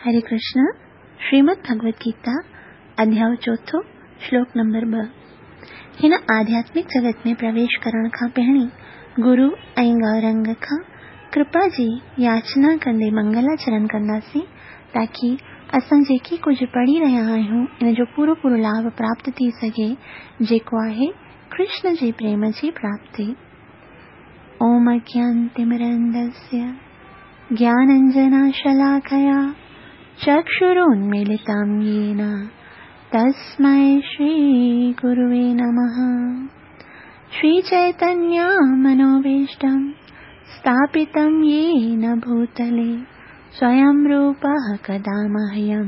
هري ڪرشن، شريمد ڀڳوت گيتا، اڌياء چوٿون، شلوڪ نمبر 2. هن آڌياتمڪ جڳت ۾ پرويش ڪرڻ کان پهرين گرو ۽ گورنگ کان ڪرپا جي ياچنا ڪندي منگلاچرن ڪنداسين تاڪي اسان جيڪي ڪجهه پڙهي رهيا آهيون ان جو پورو پورو لاڀ پراپت ٿي سگهي جيڪو آهي ڪرشن جي پريم جي پراپتي. اوم اجنانتمرندسيه ज्ञानञ्जनशलाकया चक्षुरुन्मीलितं येन तस्मै श्रीगुरुवे नमः। श्रीचैतन्यमनोभीष्टं स्थापितं येन भूतले स्वयं रूपः कदा मह्यं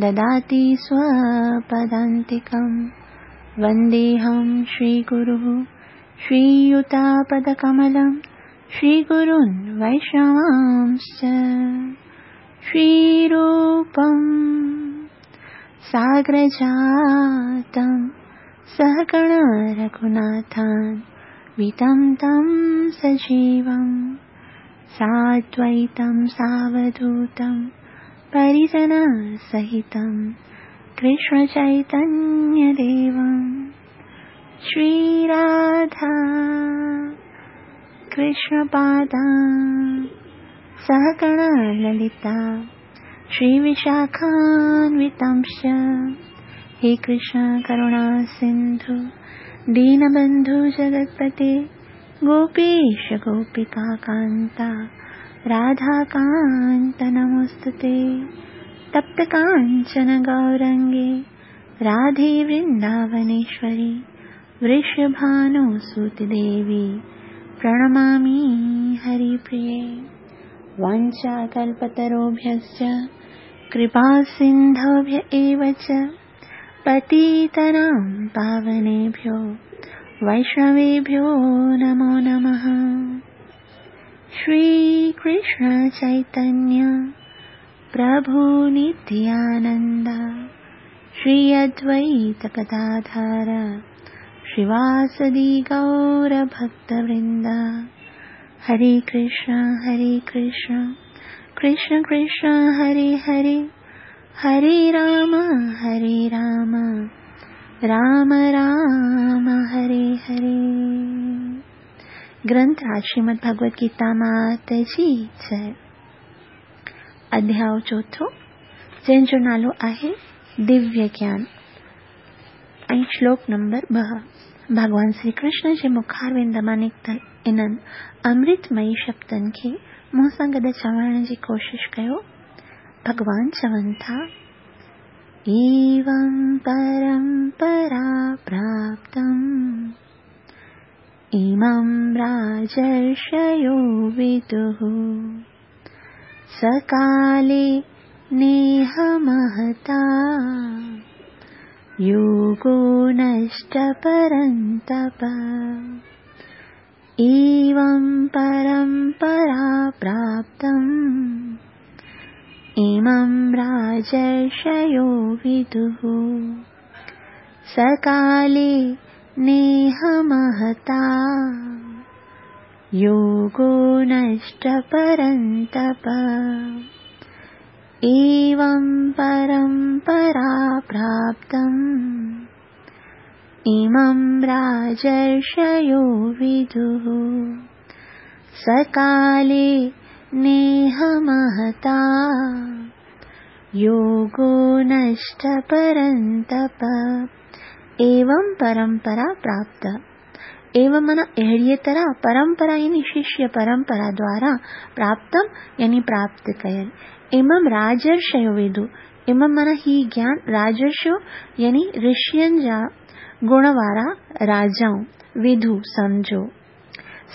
ददाति स्वपदान्तिकं। वन्देऽहं श्रीगुरुः श्रीयुतापदकमलं श्रीगुरून् वैष्णवांश्च। श्रीरूपं साग्रजातं सहगण रघुनाथान् वितं तं सजीवं साद्वैतं सावधूतं परिजनसहितं कृष्णचैतन्यदेवं। श्रीराधा कृष्णपादा सहगण ललिता श्रीविशाखान्वितांश्च। हे कृष्ण करुणा सिन्धु दीनबन्धु जगत्पते गोपीश गोपिका कान्ता राधाकान्त नमोऽस्तुते। तप्त काञ्चन गौरङ्गे राधे वृन्दावनेश्वरि वृषभानुसुते देवी प्रणमामि हरिप्रिये। वाञ्छाकल्पतरुभ्यश्च कृपासिन्धुभ्य एव च पतितानां पावनेभ्यो वैष्णवेभ्यो नमो नमः। श्रीकृष्ण चैतन्य प्रभु नित्यानन्द श्री अद्वैत गदाधर श्रीवासदि गौरभक्तवृन्द। हरे कृष्ण हरे कृष्ण कृष्ण कृष्ण हरे हरे, हरे राम हरे राम राम राम हरे हरे। ग्रंथ राज श्रीमद् भगवत गीता मात जी जय। अध्याय चोथों जंहिंजो नालो आहे दिव्य ज्ञान ऐं श्लोक नंबर 2। भॻवान श्री कृष्ण जे मुखारविंद मां निकितल इन्हनि अमृतमयी शब्दनि खे मूं सां गॾु चवण जी कोशिश कयो। भॻवान चवनि था, एवं परंपरा प्राप्तम् इमं राजर्षयो विदुः सकाले नेह महता योगो नष्ट परन्तप। एवं परंपरा प्राप्तम् इमं राजर्षयो विदुः सकाले नेह महता योगो नष्ट परन्तप। एवं परंपरा प्राप्तम् इमं राजर्षयो विदुः सकाले नेह महता योगो नष्ट परन्तप। एवं परंपरा प्राप्त, एवं माना अहिड़ीअ तरह, परंपरा यानी शिष्य परंपरा द्वारा, प्राप्तम यानी प्राप्त कयल। इमं राजर्षयो विदु, इमं माना ही ज्ञान, राजर्षयो यानी ऋषियुनि जा गुण वारा राजाऊं, विधु सम्झो।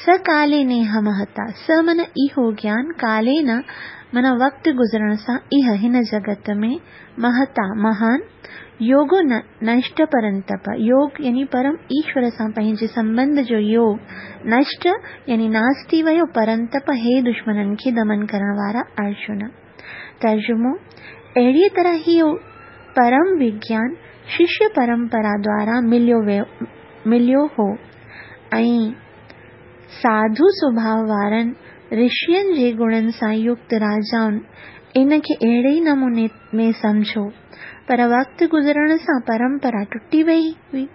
सकाले नेह महता, स माना इहो ज्ञान, काले न माना वक़्तु गुज़रण सां, इह हिन जगत में, महता महान, योगो नष्ट परंतप, योग यानी परम ईश्वर सां पंहिंजे संबंध जो योग, नष्ट यानी नास थी वियो, परंतप हे दुश्मननि खे दमन करण वारा अर्जुन। तर्जुमो, अहिड़ीअ तरह इहो परम विज्ञान शिष्य परंपरा द्वारा मिलियो हो ऐं साधु स्वभाव वारनि ऋषियुनि जे गुणनि सां युक्त राजाउनि ان کي اهڙي ئي نموني ۾ سمجهيو، پر وقت گذرڻ سان پرمپرا ٽٽي وئي هئي،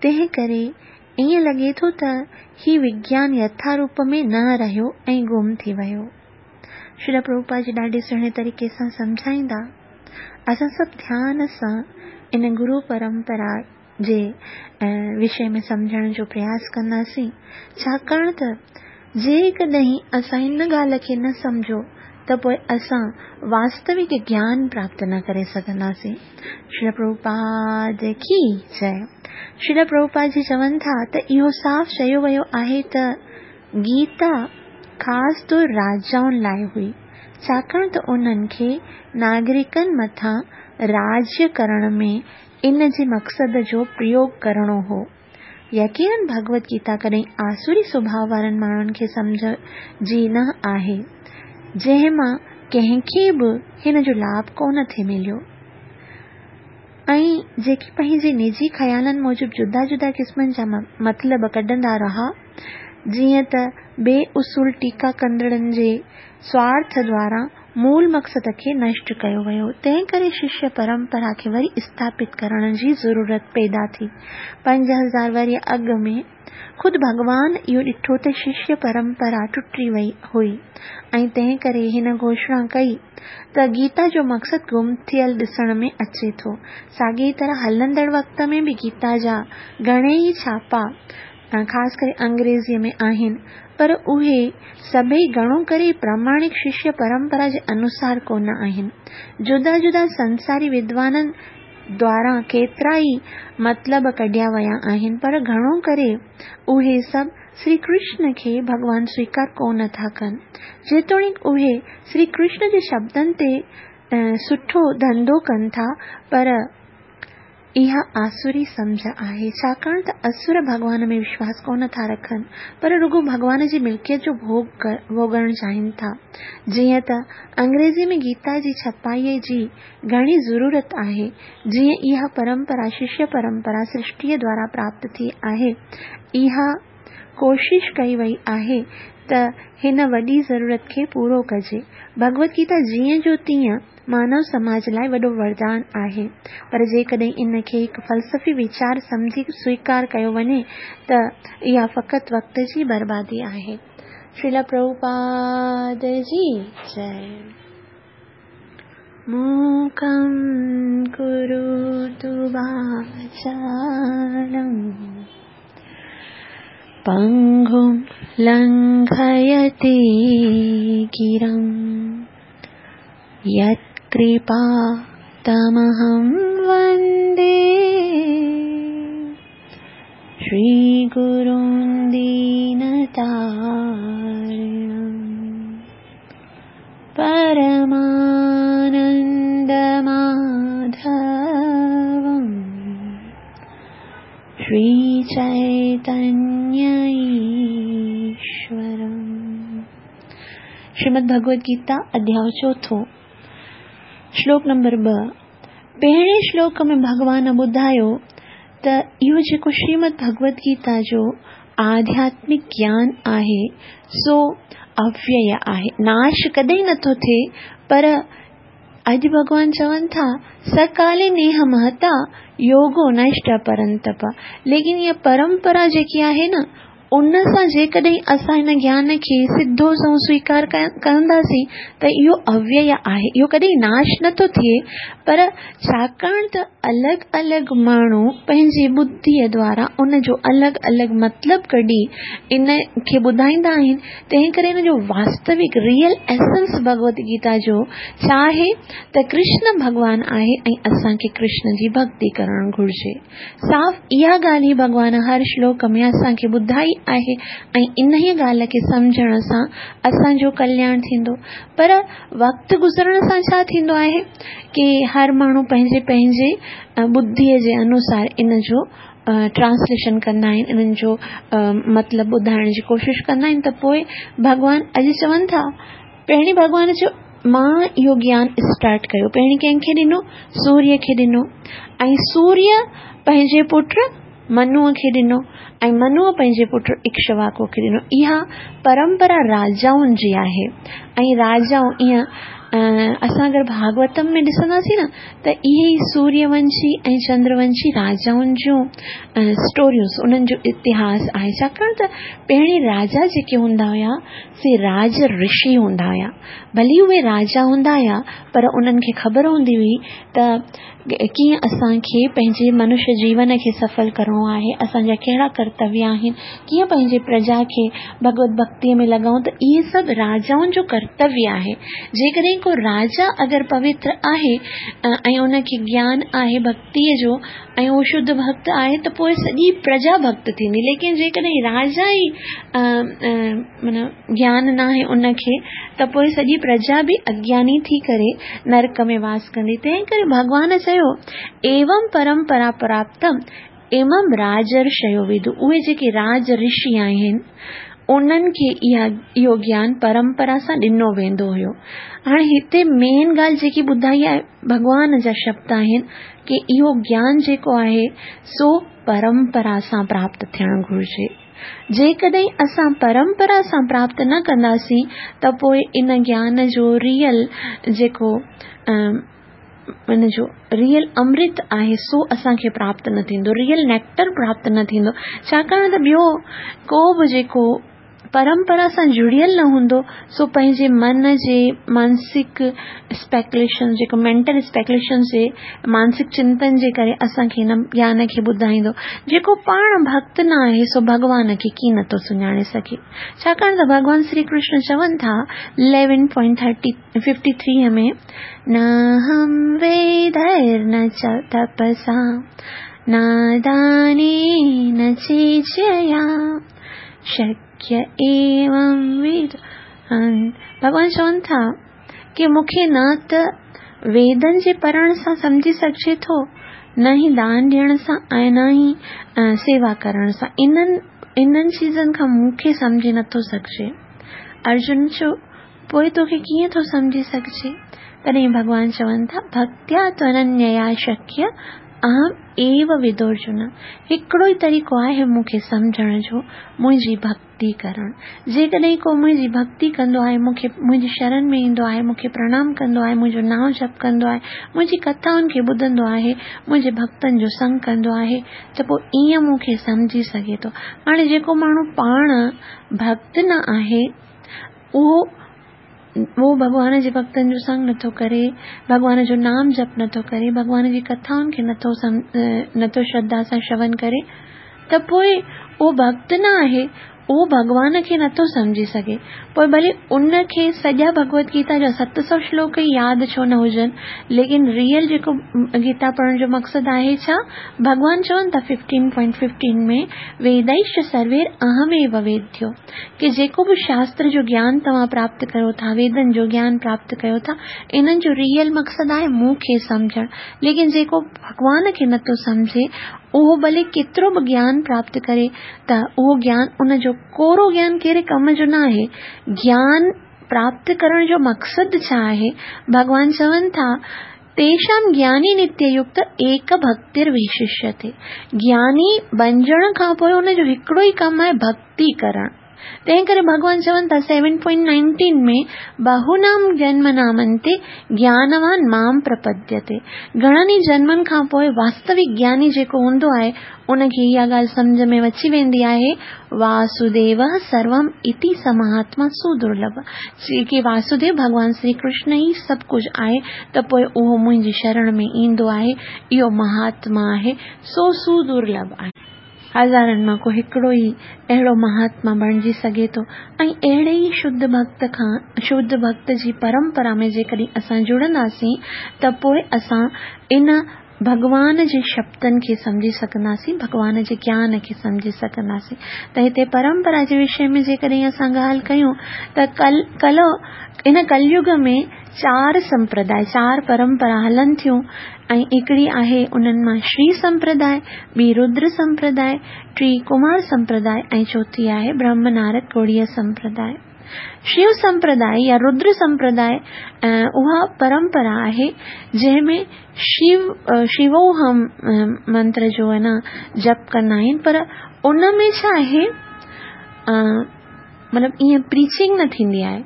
تنهن ڪري ائين لڳي ٿو ته هي وگيان يٿا روپ ۾ نه رهيو ۽ گم ٿي ويو. شريل پرڀوپاد جي ڏاڍي سهڻي طريقي سان سمجهائيندا. اسان سڀ ڌيان سان ان گرو پرمپرا جي وشي ۾ سمجهڻ جو پرياس ڪنداسين، ڇاڪاڻ ته جيڪڏهن اسان ان ڳالهه کي نه سمجهيو ته پوء اسان واستوڪ گيان پراپت نه ڪري سگهنداسين. شريل پرڀوپاد ڪي جئي. شريل پرڀوپاد جي چون ٿا ته اهو صاف چيو ويو آهي ته گيتا خاص طور راجائن لاء هئي، ڇاڪاڻ ته انهن کي ناگريڪن مٿان راڄ ڪرڻ ۾ ان جي مقصد جو پريوگ ڪرڻو هو. يقينن ڀڳوت گيتا ڪڏهن آسوري سڀاء وارن ماڻهن کي سمجهه جي نه آهي، جنهن مان ڪنهن کي به هن جو لاڀ ڪونه ٿي مليو ۽ جيڪي پنهنجي نجي خيالن موجب جدا جدا قسمن جا مطلب ڪڍندا رها، جيئن ته بي اصول ٽيڪا ڪندڙن جي سوارٿ دواران مول مقصد کي نشٽ ڪيو ويو، تنهن ڪري ششيه پرمپرا کي وري اسٿاپت ڪرڻ جي ضرورت پيدا ٿي. 5000 ورهيه اڳ ۾ خود ڀڳوان اهو ڏٺو ته ششيه پرمپرا ٽٽي وئي هئي ۽ تنهن ڪري هن گهوشڻا ڪئي ته گيتا جو مقصد گم ٿيل ڏسڻ ۾ اچي ٿو. ساڳيء طرح هلندڙ وقت ۾ به گيتا جا گهڻيئي ڇاپا خاص ڪري انگريزيء ۾ آهن، پر اهي سڀئي گهڻو ڪري پراماڻڪ ششيه پرمپرا جي انوسار ڪونه آهن. جدا جدا سنساري ودوانن دواران ڪيترائي مطلب ڪڍيا ويا آهن، پر گهڻو ڪري اهي سڀ سري ڪرشن کي ڀڳوان سويڪار ڪونه ٿا ڪن. جيتوڻيڪ اهي سري ڪرشن جي شبدن تي سٺو ڌنڌو ڪن ٿا، پر اها آسوري سمجهه آهي، ڇاڪاڻ ته اسور ڀڳوان ۾ وشواس ڪونه ٿا رکن، پر رڳو ڀڳوان جي ملڪيت جو ڀوڳ ڀوڳڻ چاهين ٿا. جيئن ته انگريزيء ۾ گيتا جي ڇپائيء جي گهڻي ضرورت آهي، جيئن اها پرمپرا ششيه پرمپرا سرشٽيء دوارا پراپت ٿي آهي، اها ڪوشش ڪئي وئي آهي ته هن وڏي ضرورت کي پورو ڪجي. ڀڳوت گيتا جيئن جو تيئن مانو سماج لاء وڏو وردان آهي، پر جيڪڏهن ان کي هڪ فلسفي ويچار سمجهي سويڪار ڪيو وڃي ته اها فقط وقت جي بربادي آهي. شريلا پرڀوپاد جي جئي. موڪم ڪروتو واچالم پنگم لنگهيتي گرم يتڪرپا تمهم وندي شري گرون دينتارڻم پرمانند ماڌوم شري چيتنيه ايشورم. شريمد ڀڳوت گيتا اڌياء چوٿون شلوڪ نمبر 2. پهرين شلوڪ ۾ ڀڳوان ٻڌايو ته اهو جيڪو شريمد ڀڳوت گيتا جو آڌياتمڪ گيان آهي سو اويئي آهي، ناش ڪڏهن نٿو ٿئي، پر اڄ ڀڳوان چون ٿا سڪالي نيهه مهتا يوگو نشٽ پرنتپ، ليڪن اها پرمپرا جيڪي آهي نه ان سان جيڪڏهن اسان هن گيان کي سڌو سنئون سويڪار ڪنداسين ته اهو اويئي آهي، اهو ڪڏهن ناش نٿو ٿئي، پر ڇاڪاڻ ته الڳ الڳ ماڻهو پنهنجي ٻڌيء دوارا ان جو الڳ الڳ مطلب ڪڍي ان کي ٻڌائيندا آهن، تنهن ڪري ان جو واستوڪ ريئل ايسنس ڀڳوت گيتا جو ڇا آهي ته ڪرشن ڀڳوان آهي ۽ اسان کي ڪرشن جي ڀڳتي ڪرڻ گهرجي. صاف اها ڳالهه ئي ڀڳوان هر شلوڪ ۾ اسان کي ٻڌائي آهي ۽ انهيء ڳالهه کي سمجهڻ سان اسان جو ڪلياڻ ٿيندو. پر وقت گذرڻ سان ڇا ٿيندو آهي ڪي هر ماڻهو پنهنجي پنهنجي ٻڌيء جي انوسار ان جو ٽرانسليشن ڪندا آهن، انهن جو مطلب ٻڌائڻ جي ڪوشش ڪندا آهن ته پوء ڀڳوان اڄ چون ٿا پهرين ڀڳوان چيو مان اهو گيان اسٽارٽ ڪيو پهرين ڪنهن کي ڏنو سوريه کي ڏنو ۽ سوريه پنهنجي پٽ منوء کي ڏنو ۽ منوء پنهنجي پٽ اڪشواڪو کي ڏنو. اها پرمپرا راجائن جي آهي ۽ راجائون ائين اسان اگر ڀاڳوتم ۾ ڏسنداسين نه ته اهي ئي سوريه ونشي ۽ چندر ونشي راجائن جون اسٽوريون انهن جو اتهاس آهي ڇاڪاڻ ته پهرين راجا جيڪي هوندا هيا سي راج رشي هوندا هيا ڀلي اهي راجا هوندا هيا پر انهن کي خبر هوندي هئي ته ڪيئن اسان کي پنهنجي منش جيون کي سڦل ڪرڻو آهي، اسان جا ڪهڙا ڪرتويه آهن، ڪيئن پنهنجي پرجا کي ڀڳوت ڀڳتيء ۾ لڳائون ته اهي سڀ راجائن جو ڪرتويه آهي. جيڪڏهن ڪو راجا اگر پوتر آهي ۽ ان کي گيان آهي ڀڳتيء جو ۽ اهو شڌ ڀڳت آهي ته پوء سڄي پرجا ڀڳت ٿيندي ليڪن جيڪڏهن راجا ئي معنيٰ گيان ناهي ان کي ته پوء سڄي پرجا به اگياني ٿي ڪري نرڪ ۾ واس ڪندي. تنهن ڪري ڀڳوان چيو، ايوم پرمپرا پراپتم امم راجرشيو ودو اهي جيڪي راج رشي آهن انهن کي اها اهو گيان پرمپرا سان ڏنو ويندو هيو. هاڻي هتي مين ڳالهه جيڪي ٻڌائي آهي ڀڳوان جا شبد آهن ڪي اهو گيان جيڪو آهي سو پرمپرا سان پراپت ٿيڻ گهرجي. جيڪڏهن اسان پرمپرا سان پراپت نه ڪنداسين ته پوء ان گيان جو ريئل جيڪو ان جو ريئل امرت آهي سو اسان کي پراپت نه ٿيندو ريئل نيڪٽر پراپت نه ٿيندو ڇاڪاڻ ته ٻيو ڪو به جيڪو پرمپرا سان جڙيل نه هوندو سو پنهنجي من جي مانسڪ اسپيڪوليشن جيڪو مينٽل اسپيڪوليشن جي مانسڪ چنتن جي ڪري اسان کي هن گيان کي ٻڌائيندو. جيڪو پاڻ ڀڳت نه آهي سو ڀڳوان کي ڪيئن نٿو سڃاڻي سگهي. ڇاڪاڻ ته ڀڳوان شري ڪرشن چون ٿا 11.53 ۾، ناهم ويدير نه چ تپسا نه دانين چيجيا شڪيه ايوم ويد ڀڳوان چون ٿا ڪي مون کي نه ته ويدن جي پڙهڻ سان سمجهي سگهجي ٿو، نه ئي دان ڏيڻ سان ۽ نه ئي سيوا ڪرڻ سان. انهن انهن چيزن کان مون کي سمجهي نه ٿو سگهجي. ارجن چيو، پوء توکي ڪيئن ٿو سمجهي سگهجي؟ تڏهن ڀڳوان چون ٿا، ڀڪتيا توننيا شڪيه اهم ايو ودورجن. هڪڙو ئي طريقو آهي مون کي سمجهڻ جو، منهنجي ڀڪتي. ڪرڻ. جيڪڏهن ڪو منهنجي ڀڳتي ڪندو آهي، مون کي منهنجي شرن ۾ ايندو آهي، مون کي پرڻام ڪندو آهي، منهنجو نانء جپ ڪندو آهي، منهنجي ڪٿائن کي ٻڌندو آهي، منهنجي ڀڳتن جو سنگ ڪندو آهي ته پوء ائين مون کي سمجهي سگهي ٿو. هاڻي جيڪو ماڻهو پاڻ ڀڳت نه آهي، اهو اهو ڀڳوان جي ڀڳتن جو سنگ نٿو ڪري، ڀڳوان جو نام جپ نٿو ڪري، ڀڳوان جي ڪٿائن کي نٿو نٿو شرڌا سان شرون ڪري ته پوء اهو ڀڳت نه آهي، اهو ڀڳوان کي نٿو سمجهي سگهي. پوء ڀلي ان کي سڄا ڀڳوت گيتا جا 700 شلوڪ ئي ياد ڇو نه هجن، ليڪن ريئل جيڪو گيتا پڙهڻ جو مقصد آهي ڇا؟ ڀڳوان چون ٿا 15.15 ۾ ويدائش سروير اهم ايو ويديو. ڪي جيڪو به شاستر جو گيان توهان پراپت ڪيو ٿا، ويدن جو گيان پراپت ڪيو ٿا، انهن جو ريئل مقصد آهي مون کي سمجهڻ. ليڪن جيڪو ڀڳوان کي نٿو سمجهي، اهو ڀلي ڪيترو به گيان پراپت ڪري ته اهو گيان ان جو ڪورو گيان ڪهڙي ڪم جو نه آهي. گيان پراپت ڪرڻ جو مقصد ڇا آهي؟ ڀڳوان چون ٿا، تيشام گياني نتيه يڪت ايڪ ڀڪتر وششيتي. گياني بنجڻ کان پوء ان جو هڪڙو ئي ڪم آهي ڀڳتي ڪرڻ. تنهن ڪري ڀڳوان چون ٿا 7.19 ۾ بهونام جنمنام انتي گيانوان مام پرپديتي. گهڻن ئي جنمن کان پوء واستوڪ گياني جيڪو هوندو آهي ان کي اها ڳالهه سمجهه ۾ اچي ويندي آهي، واسوديوه سروم اتي س مهاتما سودرلڀ، ڪي واسوديو ڀڳوان شري ڪرشن ئي سڀ ڪجهه آهي ته پوء اهو منهنجي شرڻ ۾ ايندو آهي، اهو مهاتما آهي، سو سودرلڀ آهي. هزارن مان ڪو هڪڙو ئي اهڙو مهاتما بڻجي سگهي ٿو ۽ اهڙي ئي شڌ ڀڳت کان شڌ ڀڳت جي پرمپرا ۾ جيڪڏهن اسان جڙنداسين ته پوء اسان ان ڀڳوان جي شبدن کي سمجهي سگهنداسين، ڀڳوان جي گيان کي سمجهي سگهنداسين ته هتي پرمپرا جي وشي ۾ جيڪڏهن اسان ڳالهه ڪيون ته ڪل ڪلو هن ڪليگ ۾ چار سمپرداء چار پرمپرا هلن ٿيون ۽ هڪڙي آهي انهن مان شري سمپرداء، ٻي ردر سمپرداء، ٽي ڪمار سمپرداء ۽ چوٿي آهي برهم نارد گوڙيه سمپرداء. شيو سمپرداء يا ردر سمپرداء اها پرمپرا آهي جنهن ۾ شيو شيووهم منتر جو آهي نه جپ ڪندا آهن پر ان ۾ ڇا آهي مطلب ائين پريچنگ نه ٿيندي آهي.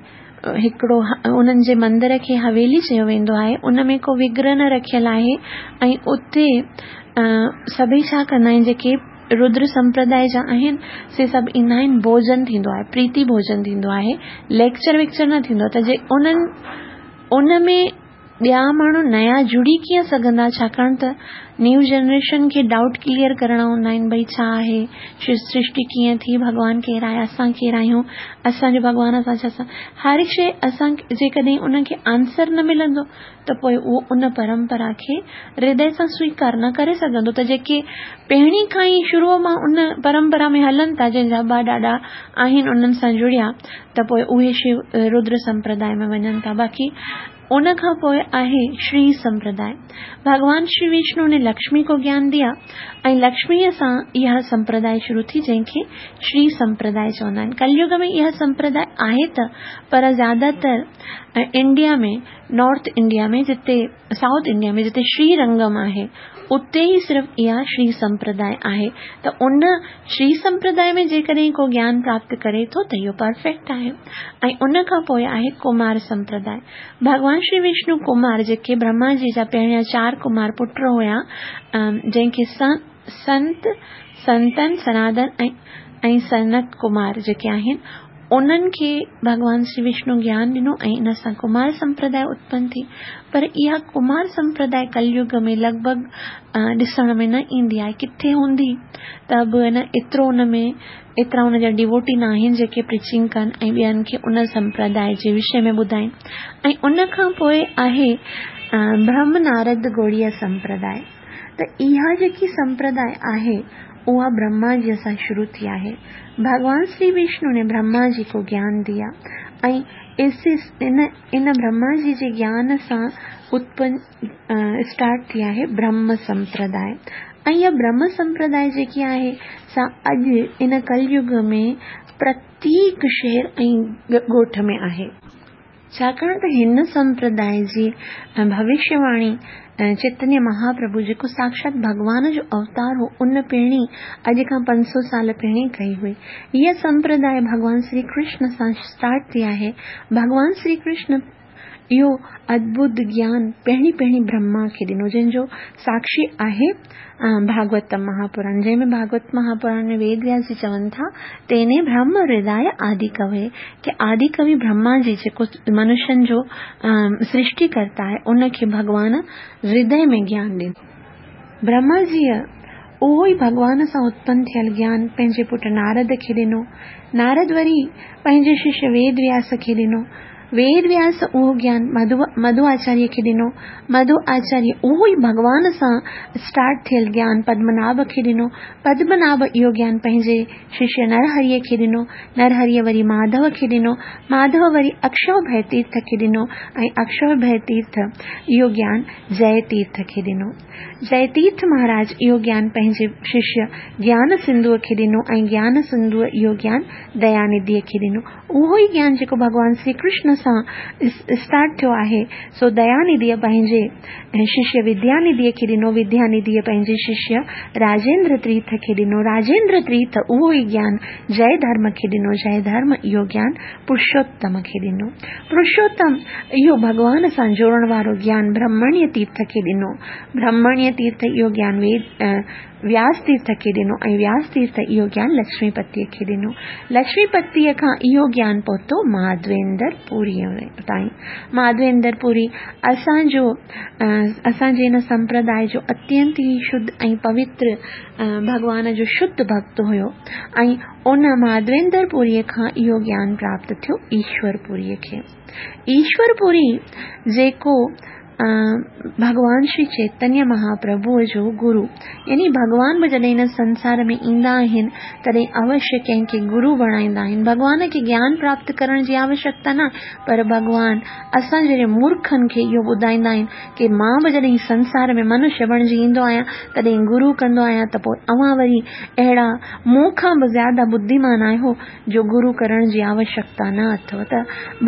هڪڙو انهن جي مندر کي حويلي چيو ويندو آهي ان ۾ ڪو وگرهه نه رکيل آهي ۽ اتي سڀئي ڇا ڪندا آهن جيڪي ردر سمپرداء جا آهن سي سڀ ايندا آهن ڀوڄن ٿيندو آهي پريتي ڀوڄن ٿيندو آهي ليڪچر ويڪچر نه ٿيندو آهي ته جي انهن ان ۾ ٻيا ماڻهو نيا جڙي ڪيئن سگهندا ڇاڪاڻ ته نيو جنريشن کي ڊائوٽ ڪليئر ڪرڻا هوندا آهن ڀئي ڇا آهي سرشٽي ڪيئن ٿي ڀڳوان ڪير آهي اسان ڪير آهيون اسان جو ڀڳوان اسان ڇا سان هر هڪ شيء اسان جيڪڏهن ان کي آنسر نه ملندو ته پوء اهو ان پرمپرا کي هردي سان سويڪار نه ڪري سگهندو ته جيڪي پهرين کان ئي شروع مان ان پرمپرا ۾ هلن ٿا جنهن جا ابا ڏاڏا آهن انهن سان جڙيا ته پوء اهي شو ردر سمپرداء ۾ وڃن ٿا. باقي ان کان پوء آهي شري سمپرداء. ڀڳوان شري وشنو ني لڪشمي ڪو گيان ديا ۽ لڪشميء سان اها سمپرداء شروع ٿي جنهن کي شري سمپرداء چوندا آهن. ڪليگ ۾ اها سمپرداء آهي ته پر زياده تر انڊيا ۾ نارٿ انڊيا ۾ جتي سائوٿ انڊيا ۾ جتي شري رنگم آهي اتي ئي صرف اها شري سمپرداء آهي ته ان شري سمپرداء ۾ جيڪڏهن ڪو گيان پراپت ڪري ٿو ته اهو پرفيڪٽ آهي ۽ ان کان پوء آهي ڪمار سمپرداء ڀڳوان شري وشنو ڪمار جيڪي برهما جي جا پهريان چار ڪمار پٽ هيا جنهن کي سنت سنتن سنادن ۽ سنت ڪمار جيڪي آهن انهن کي ڀڳوان شري وشنو گيان ڏنو ۽ ان سان ڪمار سمپرداء اتپن ٿي. پر اها ڪمار سمپرداء ڪليگ ۾ لڳ ڀڳ ڏسڻ ۾ نه ايندي آهي. ڪٿي هوندي ته به نه ايترو ان ۾ ايترا ان جا ڊيووٽي نه آهن جيڪي پريچنگ ڪن ۽ ٻين کي ان سمپرداء جي وشي ۾ ٻڌائين. ۽ ان کان پوء آهي برهم نارد گوڙيه سمپرداء. ته اها جيڪي سمپرداء آهي اها برهما جيء سان شروع ٿي آهي. ڀڳوان شري وشنو ني برهما جي ڪو گيان ديا ۽ ان ان برهما جي جي گيان سان اتپن اسٽارٽ ٿي آهي برهم سمپرداء ۽ اها برهم سمپرداء جيڪي آهي سا اڄ ان ڪليگ ۾ پرتيڪ شهر ۽ ڳوٺ ۾ آهي. ڇاڪاڻ ته هن سمپرداء جي ڀوشيه واڻي چيتنيه مهاپرڀو جيڪو ساڪشات ڀڳوان جو اوتار هو ان پهرين اڄ کان 500 سال پهرين ڪئي هئي. هيء سمپرداء ڀڳوان شري ڪرشن سان اسٽارٽ ٿي آهي. ڀڳوان شري ڪرشن اهو ادڀت گيان پهرين پهرين برهما کي ڏنو جنهن جو ساڪشي آهي ڀاڳوتم مهاپراڻ جنهن ۾ ڀاڳوت مهاپراڻ ۾ ويد وياس جي چون ٿا تيني برهم هرداء آدي ڪوي ڪي آدي ڪوي برهما جي جيڪو منشين جو سرشٽي ڪرتا آهي ان کي ڀڳوان هردي ۾ گيان ڏنو. برهما جيء اهو ئي ڀڳوان سان اتپن ٿيل گيان پنهنجي پٽ نارد کي ڏنو. نارد وري پنهنجي ششيه ويد وياس کي ڏنو. ويد وياس اهو گيان مڌو آچاريه کي ڏنو. مڌو آچاريه اهو ئي ڀڳوان سان اسٽارٽ ٿيل گيان پدمناڀ کي ڏنو. پدمناڀ اهو گيان پنهنجي ششيه نرهريء کي ڏنو. نرهريء وري ماڌو کي ڏنو. ماڌو وري اڪشوڀيه تيرٿ کي ڏنو ۽ اڪشوڀيه تيرٿ اهو گيان جئه تيرٿ کي ڏنو. جئه تيرٿ مهاراج اهو گيان پنهنجي ششيه گيان سنڌوء کي ڏنو ۽ گيان سنڌوء اهو گيان ديانڌيء کي ڏنو. اهو ئي گيان جيڪو ڀڳوان شري ڪرشن سان اسٽارٽ ٿيو آهي، سو ديانڌيء پنهنجي ششيه وديانڌيء کي ڏنو، وديانڌيء پنهنجي ششيه راجيندر تيرٿ کي ڏنو، راجيندر تيرٿ اهو ئي گيان جئه ڌرم کي ڏنو، جئه ڌرم اهو گيان پرشوتم کي ڏنو، پرشوتم اهو ڀڳوان سان جوڙڻ وارو گيان برهمڻيه تيرٿ کي ڏنو، برهمڻيه تيرٿ اهو گيان ويد وياس تيرٿ کي ڏنو ۽ وياس تيرٿ اهو گيان لڇمي پتيء کي ڏنو. لڇمي پتيء کان اهو گيان پهتو ماڌويندر پوريء تائين. ماڌويندر پوري اسان جو اسان جي هن سمپرداء جو اتينت ئي شڌ ۽ پوتر ڀڳوان جو شڌ ڀڳت هيو ۽ ان ماڌويندر پوريء کان اهو گيان پراپت ٿيو ايشور پوريء کي. ايشور پوري جيڪو ڀڳوان شري چيتنيه مهاپرڀوء جو گرو يعني ڀڳوان به جڏهن هن سنسار ۾ ايندا آهن تڏهن اوشيه ڪنهن کي گرو بڻائيندا آهن. ڀڳوان کي گيان پراپت ڪرڻ جي آوشيڪتا نه پر ڀڳوان اسان جهڙي مورکن کي اهو ٻڌائيندا آهن ڪي مان به جڏهن سنسار ۾ منشيه بڻجي ايندو آهيان تڏهن گرو ڪندو آهيان ته پوء اوهان وري اهڙا مون کان به زياده ٻڌيمان آهيو جو گرو ڪرڻ جي آوشيڪتا نه اٿو ته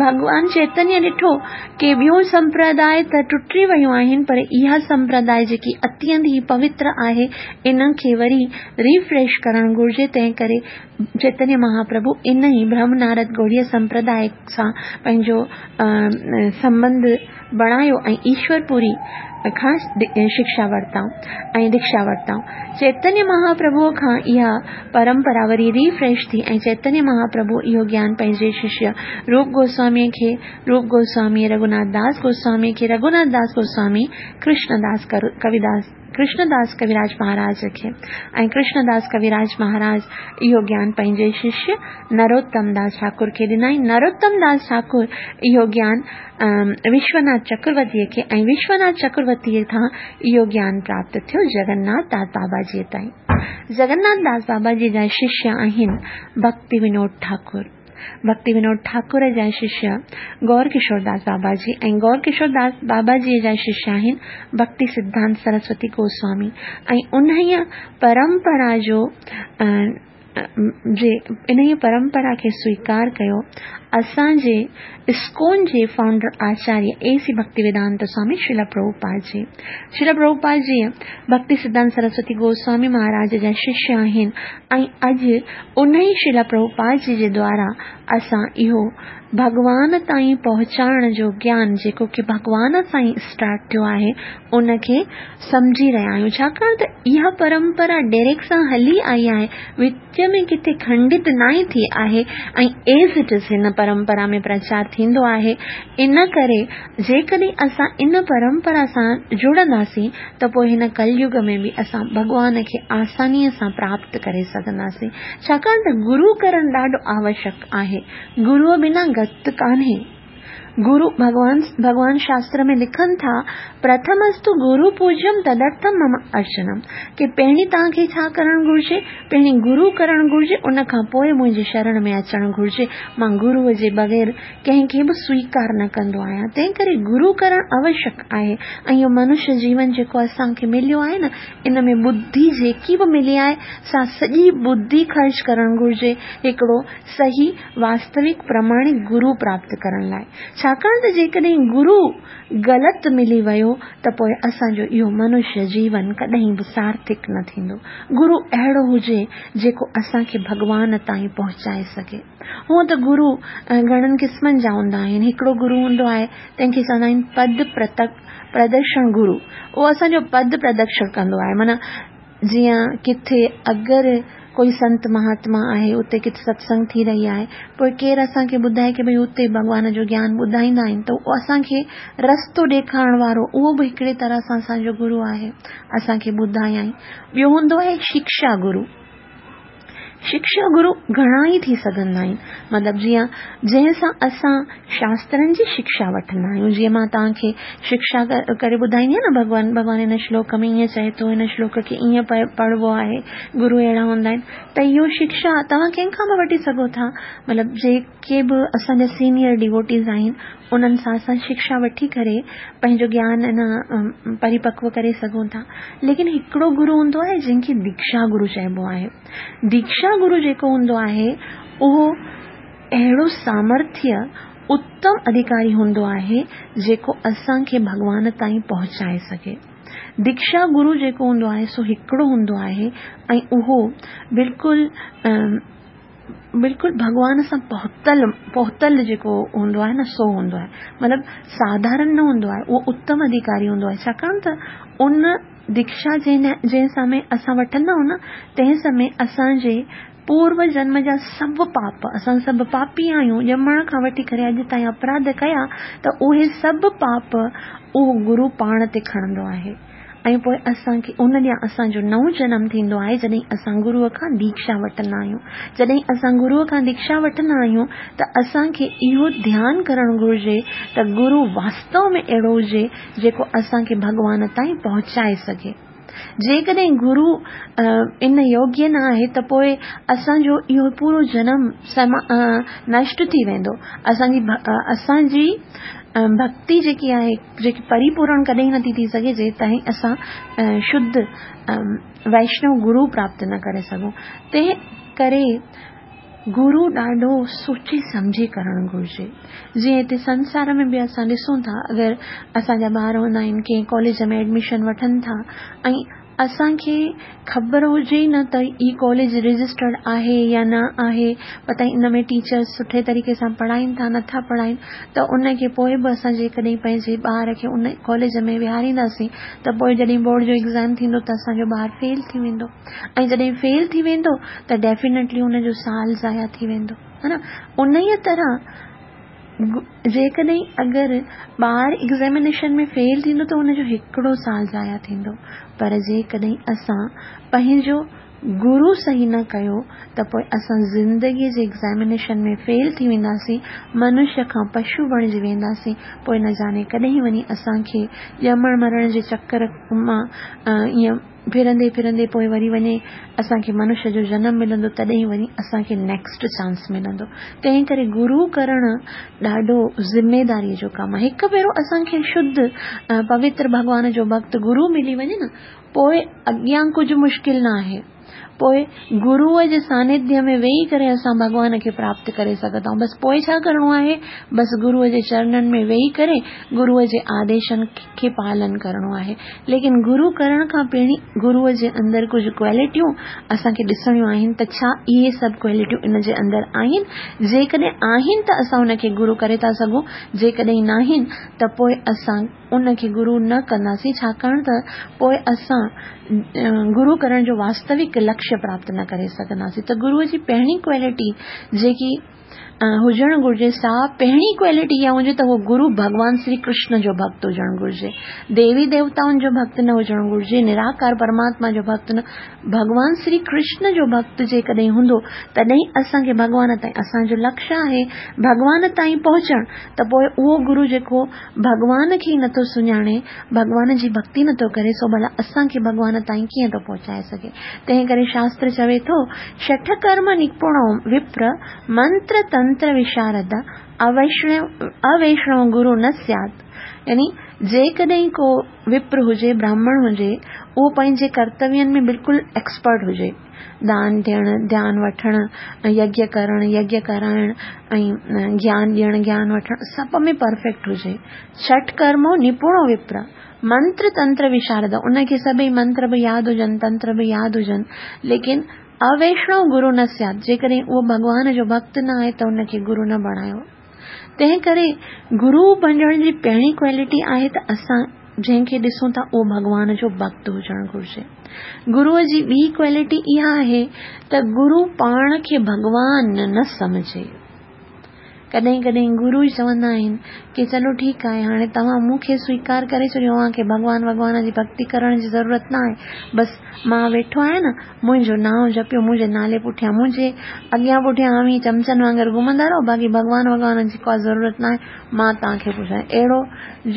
ڀڳوان چيتنيه ڏٺو ڪي ٻيو سمپرداء ته ٽٽي ويون آهن پر اها سمپرداء جيڪي اتينت ئي پوتر آهي ان کي وري ريفريش ڪرڻ گهرجي تنهن ڪري چيتنيه مهاپرڀو ان ئي برهم نارد گوڙيه سمپرداء سان پنهنجو سنٻنڌ بڻايو ۽ ايشور پوري کان شڪشا ورتائون ۽ ديڪشا ورتائون. چيتنيه مهاپرڀوء کان اها پرمپرا وري ريفريش ٿي ۽ چيتنيه مهاپرڀو اهو گيان پنهنجي ششيه روپ گوسواميء کي، روپ گوسواميء رگهوناٿ داس گوسواميء کي، رگهوناٿ داس گوسوامي ڪرشن داس ڪويداس ڪرشن داس ڪويراج مهاراج کي ۽ ڪرشن داس ڪويراج مهاراج اهو گيان پنهنجي ششيه نروتم داس ٺاڪر کي ڏنائين. نروتم داس ٺاڪر اهو گيان وشوناٿ چڪرورتيء کي ۽ وشوناٿ چڪرورتيء کان اهو گيان پراپت ٿيو جگناٿ داس بابا جيء تائين. جگناٿ داس بابا جيء جا ششيه آهن ڀڪتي ونود ٺاڪر. ڀڪتي ونود ٺاڪر جا ششيه گور ڪشور داس بابا جي ۽ گور ڪشور داس بابا جيء جا ششيه آهن ڀڪتي سڌانت سرسوتي گوسوامي ۽ انهيء پرمپرا جو جي انهيء پرمپرا کي سويڪار ڪيو اسان جي اسڪون جي founder Acharya A C Bhakti Vedanta Swami Srila Prabhupada ji. Srila Prabhupada ji Bhakti Siddhanta Saraswati Goswami Maharaj جا ششيه آهن ۽ اڄ انهي شريلا پرڀوپاد جي جي دوارا اسان اهو ڀڳوان تائين پهچائڻ جو گيان جيڪو ڪي ڀڳوان سان ئي اسٽارٽ ٿيو آهي ان کي سمجهي رهيا آهيون ڇاڪاڻ ته اها پرمپرا ڊيريڪ سان هلي آئي آهي وچ ۾ ڪٿي کنڊت ناهي ٿي آهي ۽ ايز it is هن پرمپرا ۾ پرچار ٿيندو آهي ان ڪري جيڪڏهن اسان ان پرمپرا سان جڙنداسين ته پوء هن ڪليگ ۾ به اسان ڀڳوان کي آسانيء سان پراپت ڪري سگهنداسين. ڇاڪاڻ ته گرو ڪرڻ ڏاڍو آوشڪ آهي. گروء بنا گت ڪانهي. گرو ڀڳوان ڀڳوان شاستر ۾ لکن ٿا، پرٿمستو گرو پوجيم تدرٿم مم ارچنم ڪي پهرين توهان کي ڇا ڪرڻ گهرجي؟ پهرين گرو ڪرڻ گهرجي ان کان پوء منهنجي شرڻ ۾ اچڻ گهرجي. مان گروء جي بغير ڪنهن کي به سويڪار نه ڪندو آهيان. تنهن ڪري گرو ڪرڻ آوشڪ آهي ۽ اهو منش جيون جيڪو اسان کي مليو آهي نه ان ۾ ٻڌي جيڪي به ملي آهي سا سڄي ٻڌي خرچ ڪرڻ گهرجي هڪڙو صحيح واستوڪ پرماڻڪ گرو پراپت ڪرڻ لاء. ڇاڪاڻ ته جيڪڏهن گرو غلط ملي ويو ته پوء اسان جو اهو منش جيون ڪڏهن به سارٿڪ نه ٿيندو. گرو اهڙو هجي جيڪو اسان کي ڀڳوان تائين پهچائي سگهي. هونء ته گرو گهڻن قسمن جا هوندا آهن. هڪڙو گرو هوندو آهي، تنهن کي چوندا آهن پد پردڪشڻ گرو. اهو اسان جو پد پردڪشڻ ڪندو آهي. معنيٰ جيئن ڪٿي اگر ڪوئي سنت مهاتما آهي، اتي ڪٿي ستسنگ ٿي رهي آهي، پوء ڪير اسان کي ٻڌائي ڪي ڀئي اتي ڀڳوان جو گيان ٻڌائيندا آهن ته اهو اسان کي رستو ڏيکارڻ وارو اهو به هڪڙي طرح سان اسان جو گرو آهي، اسان کي ٻڌايائين. ٻيو هوندو آهي شڪشا گرو. شڪشا گرو گهڻا ئي ٿي سگهندا آهن مطلب جيئن جنهن سان اسان شاسترن جي شڪشا وٺندا آهيون جيئن مان توهان کي شڪشا ڪري ٻڌائيندي آهيان نه ڀڳوان ڀڳوان هن شلوڪ ۾ ائين چئي ٿو هن شلوڪ کي ائين پڙهبو آهي گرو اهڙا هوندا آهن ته اهو شڪشا توهان ڪنهن کان به وٺي سگهو ٿا مطلب جيڪي به اسان جا سينيئر ڊيووٽيز آهن انهن سان اسان شڪشا وٺي ڪري پنهنجو گيان اڃا پريپڪو ڪري سگهون ٿا. ليڪن هڪڙو گرو هوندو آهي جنهن کي ديڪشا گرو چئبو آهي. ديڪشا گرو جيڪو هوندو آهي اهو اهڙو سامرٿيه اتم اڌيڪاري هوندو آهي جيڪو اسان کي ڀڳوان تائين پهچائي سگهي. ديڪشا گرو جيڪو هوندو آهي سو هڪڙو هوندو آهي ۽ اهو بلڪل بلڪل ڀڳوان سان پهتل پهتل جيڪو هوندو آهي نه سو هوندو آهي مطلب ساڌارڻ نه هوندو آهي اهو اتم اڌيڪاري هوندو آهي ڇاڪاڻ ته ان ديڪشا جنهن جنهن سمي اسان وٺندا آهيون نه تنهن سمي اسان جي پورو جنم جا سڀ پاپ اسان سڀ پاپي آهيون ڄمڻ کان وٺي ڪري اڄ تائين اپراڌ ڪيا ته اهي سڀ پاپ اهو گرو پاڻ تي کڻندو آهي ۽ پوء اسان کي ان ڏينهن اسان جو نئون جنم ٿيندو آهي جڏهن اسان گروء کان ديڪشا وٺندا آهيون. جڏهن اسان گروء کان ديڪشا وٺندا آهيون ته اسان کي اهو ڌيان ڪرڻ گهرجي ته گرو واستو ۾ اهڙو هجي جيڪو اسان کي ڀڳوان تائين پهچائي سگهي. جيڪڏهن گرو ان يوگيه نه آهي ته پوء اسان جو اهو پورو جنم نشٽ ٿي ويندو. اسان جي اسان جي ڀڳتي جيڪي آهي جيڪي پريپورڻ ڪڏهن نٿي ٿي سگهي جيستائين اسان شڌ ويشنو گرو پراپت نه ڪري سگهون تنهن ڪري گرو ڏاڍو سوچي سمجهي ڪرڻ گهرجي. جيئن هتي سنسار ۾ به اسان ڏسون ٿا اگر اسان جا ٻار هوندا آهن ڪنهن ڪاليج ۾ ايڊميشن وٺن ٿا ۽ اسان کي خبر هجي ئي نه ته هي ڪاليج رجسٽرڊ آهي يا نه آهي پتائي ان ۾ ٽيچرس سٺي طريقي سان پڙهائين ٿا نٿا پڙهائين ته ان کي پوء به اسان جيڪڏهن پنهنجي ٻار کي ان ڪاليج ۾ ويهارينداسين ته پوء جڏهن بورڊ جو ايگزام ٿيندو ته اسان جو ٻار فيل ٿي ويندو ۽ جڏهن فيل ٿي ويندو ته ڊيفينيٽلي ان جو سال ضايع ٿي ويندو ها نه انهيء طرح جيڪڏهن اگر ٻار ايگزيمينيشن ۾ فيل ٿيندو ته ان جو هڪڙو سال ضايع ٿيندو پر جيڪڏهن اسان پنهنجو گرو صحيح نه ڪيو ته پوء اسان زندگي جي ايگزيمينيشن ۾ فيل ٿي وينداسين، منشيه کان پشو بڻجي وينداسين، پوء نه جاني ڪڏهن وڃي اسان کي ڄمڻ مرڻ جي چڪر مان ائين ڦرندي ڦرندي پوء وري وڃي اسان کي منشيه جو جنم ملندو تڏهن وڃي اسان کي نيڪسٽ چانس ملندو. تنهن ڪري گرو ڪرڻ ڏاڍو ذميداري جو ڪم آهي. هڪ ڀيرو اسان کي شڌ پوتر ڀڳوان جو ڀڳت گرو ملي وڃي نه پوء اڳيان ڪجهه مشڪل نه آهي. پوء گروء جي سانڌيه ۾ ويهي ڪري اسان ڀڳوان کي پراپت ڪري سگهندا آهيون. بس پوء ڇا ڪرڻو آهي؟ بس گروء جي چرنن ۾ ويهي ڪري گروء جي آديشن کي پالن ڪرڻو آهي. ليڪن گرو ڪرڻ کان پهرين گروء جي اندر ڪجهه ڪوالٽيون اسان کي ڏسڻيون آهن ته ڇا اهي سڀ ڪوالٽيون ان جي اندر آهن؟ جيڪڏهن آهن ته اسان ان کي گرو ڪري ٿا سگهون، جيڪڏهن ناهن ته پوء اسان ان کي گرو نه ڪنداسين ڇاڪاڻ ته پوء اسان گرو ڪرڻ جو واستوڪ لڪشيه پراپت نه ڪري سگهنداسين ته گروء جي پهرين ڪوالٽي جيڪي هجڻ گهرجي سا پهرين ڪوالٽي اها هجي ته اهو گرو ڀڳوان شري ڪرشن جو ڀڳت هجڻ گهرجي ديوي ديوتائن جو ڀڳت نه هجڻ گهرجي نراڪار پرماتما جو ڀڳت نه ڀڳوان شري ڪرشن جو ڀڳت جيڪڏهن هوندو تڏهن اسان کي ڀڳوان تائين اسان جو لڪشيه آهي ڀڳوان تائين پهچڻ ته پوء اهو گرو جيڪو ڀڳوان کي ئي نٿو سڃاڻي، ڀڳوان جي ڀڳتي نٿو ڪري، سو ڀلا اسان کي ڀڳوان تائين ڪيئن ٿو پهچائي سگهي؟ تنهن ڪري شاستر چوي ٿو، شٺ ڪرم نپڻو وپر، منتر تنتر وشارد، اويشڻو گرو نه سيات. يعني جيڪڏهن ڪو وپر هجي، براهمڻ هجي، اهو پنهنجي ڪرتوين ۾ بلڪل ايڪسپرٽ هجي. دان ڏيڻ، ڌيان وٺڻ، يگيه ڪرڻ، يگيه ڪرائڻ ۽ گيان ڏيڻ، گيان وٺڻ سڀ ۾ پرفيڪٽ هجي. ڇٺ ڪرمو نپڻو وپر، منتر تنتر وشارد، ان کي سڀئي منتر به ياد هجن، تنتر به ياد هجن، ليڪن اويشڻو گرو نه سيات، جيڪڏهن اهو ڀڳوان جو ڀڳت نه آهي ته ان کي گرو نه بڻايو. تنهن ڪري گرو بڻجڻ جي پهرين ڪوالٽي آهي ته اسان جنهن کي ڏسون ٿا اهو ڀڳوان جو ڀڳت هجڻ گهرجي. گروء جي ٻي ڪوالٽي اها آهي ته گرو پاڻ کي ڀڳوان نه سمجهي. ڪڏهن ڪڏهن گرو ئي چوندا آهن ڪي چلو ٺيڪ آهي هاڻي توهان مون کي سويڪار ڪري ڇڏيو اوهان کي ڀڳوان وڳوان جي ڀڳتي ڪرڻ جي ضرورت نه آهي بس مان ويٺو آهيان نه منهنجو نانء جپيو منهنجي نالي پٺيان منهنجي اڳيان پٺيان اوهين چمچن وانگر گهمندا رهو باقي ڀڳوان وڳوان جي ڪا ضرورت ناهي مان توهان کي پڇان اهڙو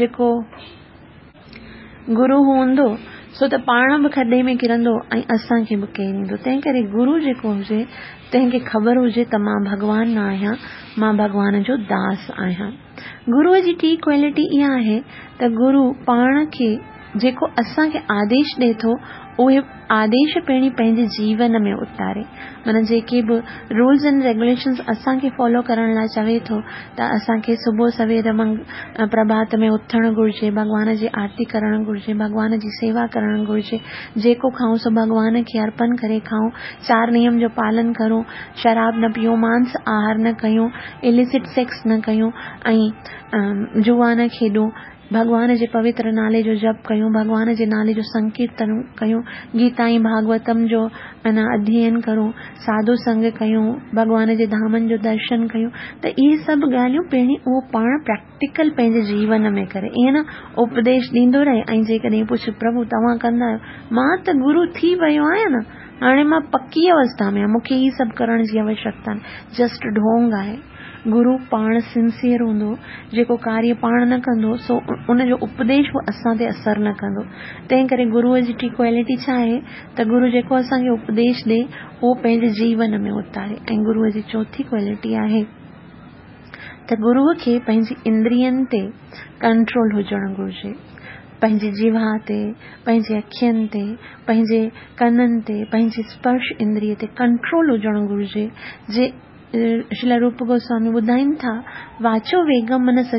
جيڪو گرو هوندو سو ته پاڻ به کڏي ۾ ڪرندو ۽ اسان کي به ڪيريندو تنهن ڪري گرو جيڪو هجي تنهن کي خبر هجي ته مان ڀڳوان نه آهيان مان ڀڳوان جو داس آهيان گروء جي ٽي ڪوالٽي اها آهي ته گرو پاڻ کي جيڪو اسان کي آديش ڏئي ٿو اهي آديش پهرين پنهنجي جيون ۾ اتاري معنيٰ جيڪي به رولز اينڊ ريگوليشنز اسان کي فالو ڪرڻ لاء چوي ٿو ته اسان کي صبح سوير پرڀات ۾ اٿڻ گهرجي ڀڳوان جي آرتي ڪرڻ گهرجي ڀڳوان جي سيوا ڪرڻ گهرجي جيڪو کائون سو ڀڳوان کي ارپن ڪري کائون چار نيم جو پالن ڪرون شراب نه پيئون مانس آهار نه ڪيون اليسٽ سيڪس نه ڪيون ۽ جوا نه کيڏون ڀڳوان جي پوتر نالي جو جپ ڪيون، ڀڳوان جي نالي جو سنڪيرتن ڪيون، گيتا ۽ ڀاڳوتم جو انا اڌيين ڪرون، ساڌو سنگ ڪيون، ڀڳوان جي ڌامن جو درشن ڪيون ته اهي سڀ ڳالهيون پهرين اهو پاڻ پريڪٽيڪل پنهنجي جيون ۾ ڪري ائين نه اپديش ڏيندو رهي ۽ جيڪڏهن پڇ پرڀو توهان ڪندا آهيو مان ته گرو ٿي ويو آهيان نه هاڻي مان پڪي اوسٿا ۾ آهيان مون کي هي سڀ ڪرڻ جي اوشڪتا نه جسٽ ڍونگ آهي. گرو پاڻ سنسيئر هوندو، جيڪو ڪاريه پاڻ نه ڪندو، سو ان جو اپديش به اسان تي اثر نه ڪندو. تنهن ڪري گروء جي ٽين ڪوالٽي ڇا آهي ته گرو جيڪو اسان کي اپديش ڏئي، اهو پنهنجي جيون ۾ اتاري ۽ گروء جي چوٿين ڪوالٽي آهي ته گروء کي پنهنجي اندرين تي ڪنٽرول هجڻ گهرجي. پنهنجي جيوا تي، پنهنجي اکين تي، پنهنجي ڪنن تي، پنهنجي اسپرش اندريء تي ڪنٽرول هجڻ گهرجي، جي. شريلا روپ گوسوامي ٻڌائين ٿا، واچو ويگم منس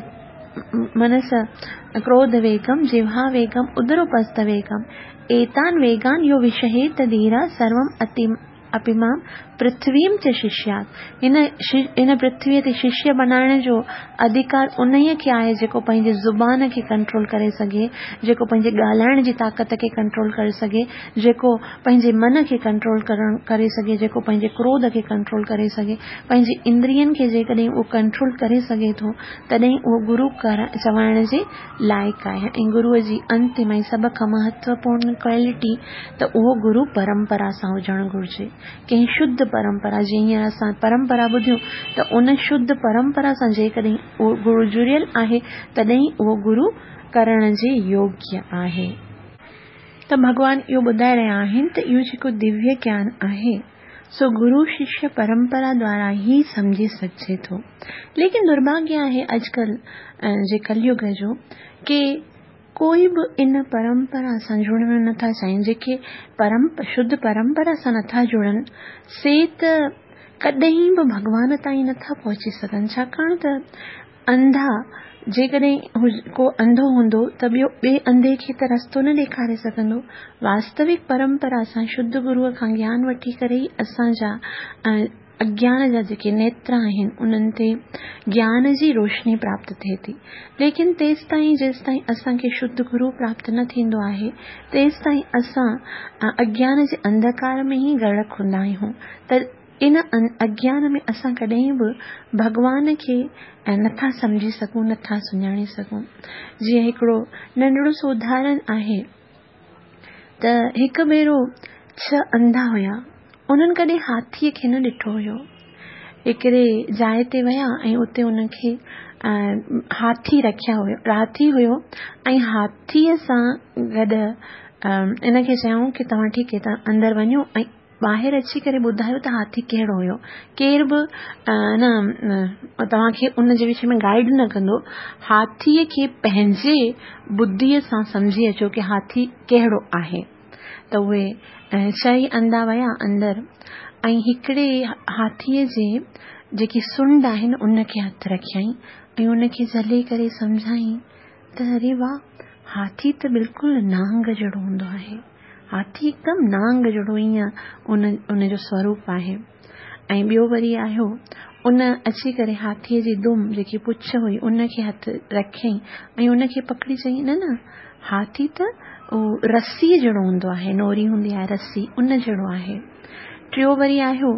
منس ڪروڌ ويگم جهوا ويگم ادروپست ويگم ايتان ويگان يو وشهيت ڌيرا سروم اتي اپيمام پرٿويم چ ششيات هن هن پرٿويء تي ششيه بنائڻ جو اڌڪار انهيء کي آهي جيڪو پنهنجي زبان کي ڪنٽرول ڪري سگهي، جيڪو پنهنجي ڳالهائڻ جي طاقت کي ڪنٽرول ڪري سگهي، جيڪو پنهنجي من کي ڪنٽرول ڪرڻ ڪري سگهي، جيڪو پنهنجي ڪروڌ کي ڪنٽرول ڪري سگهي، پنهنجي اندرين کي جيڪڏهن اهو ڪنٽرول ڪري سگهي ٿو تڏهن اهو گرو چوائڻ جي لائق آهي ۽ گروء جي انتم ۽ سڀ کان مهتوپورن ڪوالٽي ته اهو گرو پرمپرا سان هجڻ گهرجي. ڪنهن شڌ پرمپرا جيئن هينئر اسان پرمپرا ٻڌيون ته ان شڌ پرمپرا سان جيڪڏهن اهو گرو جڙيل آهي تڏهن اهو گرو ڪرڻ جي يوگيه آهي. ته ڀڳوان اهو ٻڌائي رهيا آهن ته اهو جيڪو دويه گيان آهي سو گرو ششيه پرمپرا دوارا ئي سمجهي سگهجي ٿو. ليڪن درڀاگيه آهي اڄڪلهه جي ڪليگ جو ڪي ڪوئي به ان پرمپرا سان جڙڻ نٿا چاهين، جيڪي شڌ پرمپرا سان نٿا جڙن سي ته ڪڏهن به ڀڳوان تائين نٿا پهچي سگهن ڇاڪاڻ ته انڌا جيڪڏهن ڪو انڌو هوندو ته ٻيو ٻئي انڌي کي ته رستو نه ڏيکاري سگهندو. واستوڪ پرمپرا سان شڌ گروء کان گيان وٺي ڪري ئي اسان جا اگيان جا جيڪي نيتر آهن انهن تي گيان جي روشني پراپت ٿئي ٿي. ليڪن تيستائين جيستائين اسان کي شڌ گرو پراپت نه ٿيندو آهي تيستائين اسان اگيان جي انڌڪار ۾ ئي غرق هوندا آهيون ته ان اگيان ۾ اسان ڪڏهن به ڀڳوان کي نٿا سمجهي سگهون، نٿا سڃاڻي سگهون. جيئن هڪڙو ننڍڙو سو اداهرڻ آهي ته هڪ ڀيرو ڇهه انڌا هيا، انهن ڪڏهن هاٿيء کي نه ڏٺو هيو. هڪڙي جاء تي ويا ۽ اتي انهن کي هاٿي رکيا هيو، هاٿي هيو ۽ هاٿيء سان گڏ ان کي چيائون ڪي توهان ٺيڪ هي توهان اندر وڃو ۽ ٻاهر اچي ڪري ٻڌايو ته هاٿي ڪهڙو هيو. ڪير به نه توهان کي ان جي وشي ۾ گائيڊ نه ڪندو. هاٿيء کي پنهنجي ٻڌيء سان سمجهي اچو ڪي هاٿي ڪهڙو آهي. ته اهي چئي انڌا ويا اندر ۽ هڪڙي هاٿيء جي جيڪي سنڊ آهي نه ان کي هٿ رکيائين ۽ ان کي جهلي ڪري سمجهائين ته اري واهه هاٿي ته بلڪل نانگ جهڙو هوندو آهي. هاٿي هڪدم نانگ جهڙو ائين ان ان جو سوروپ آهي ۽ ٻيو وري آيو ان اچي ڪري هاٿيء جي دم جيڪي پڇ هئي ان کي هٿ رکيائين ۽ ان کي پڪڙي چيائين نه نه هاٿي ته اهو رسيء جهڙو هوندو آهي نوري هوندي آهي رسي ان جهڙو آهي ٽيو وري آيو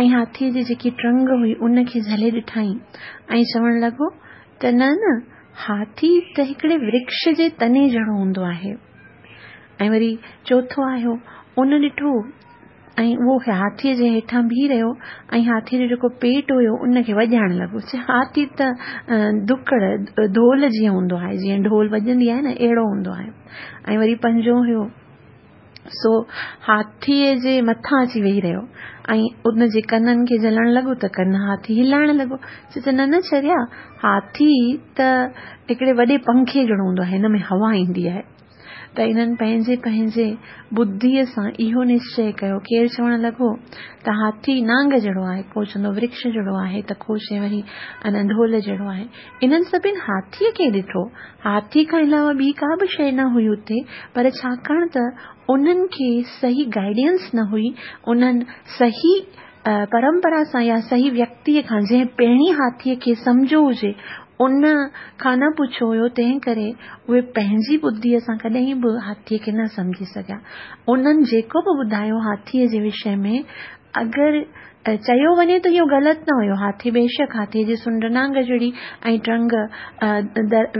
۽ هاٿيء جي جيڪي ٽرنگ هئي ان کي جهلي ڏٺائين ۽ چوڻ لڳو ته نه نه هاٿي ته هڪڙي ورڪش جي تني جهڙو هوندو آهي. ۽ وري چوٿون آيو، ان ڏٺو ۽ اهو هاٿيء جي هيٺان بيهي رهيو ۽ هاٿيء جو جيڪو پيٽ هيو ان کي وڄائڻ لڳو. چي هاٿي ته ڌڪڙ، ڍول جيئن هوندو آهي، جيئن ڍول وڄندي آهي نه اهڙو هوندو آهي. ۽ وري پنجون هيو سو هاٿيء جي مٿان اچي ويهي رهيو ۽ ان جي ڪنن کي جهلڻ لڳو ته ڪن هاٿي هلائڻ لڳو. چي ته نه نه چريا، هاٿي ته هڪڙي وڏي پنکي جهڙو هوندو آهي، هن ۾ هوا ايندي آهي. ته انهن پنهنجي پنهنجي ٻڌيء سان اهو نشچي ڪيو. ڪير چوڻ لڳو ته هاٿي نانگ جهڙو آهي، ڪو چوندو ورڪش جهڙو آهي ته ڪو چئي وري ان ڍول جهڙو آهي. انهن سڀن هاٿيء کي ڏٺو. هاٿي کان علاوه ٻي ڪا به شيء نه هئي اتي، پر ڇاڪاڻ ته انهن کي صحيح گائيڊنس نه هئي، انهن صحيح پرمپرا سان يا صحيح ويڪتيء کان جنهن پهرين هاٿيء کي سمجهيو هجي، ان کان نه پڇيو هيو، تنهن ڪري اهي پنهنجي ٻڌيء سان ڪڏهن به هاٿيء کي نه سمجهي سگهيا. انهن جيڪو به ٻڌايو هاٿيء جي وشي ۾، اگر چيو وڃي ته اهو غلط نه هيو. هاٿي بيشڪ هاٿيء جي سنڍ نانگ جهڙي ۽ ٽرنگ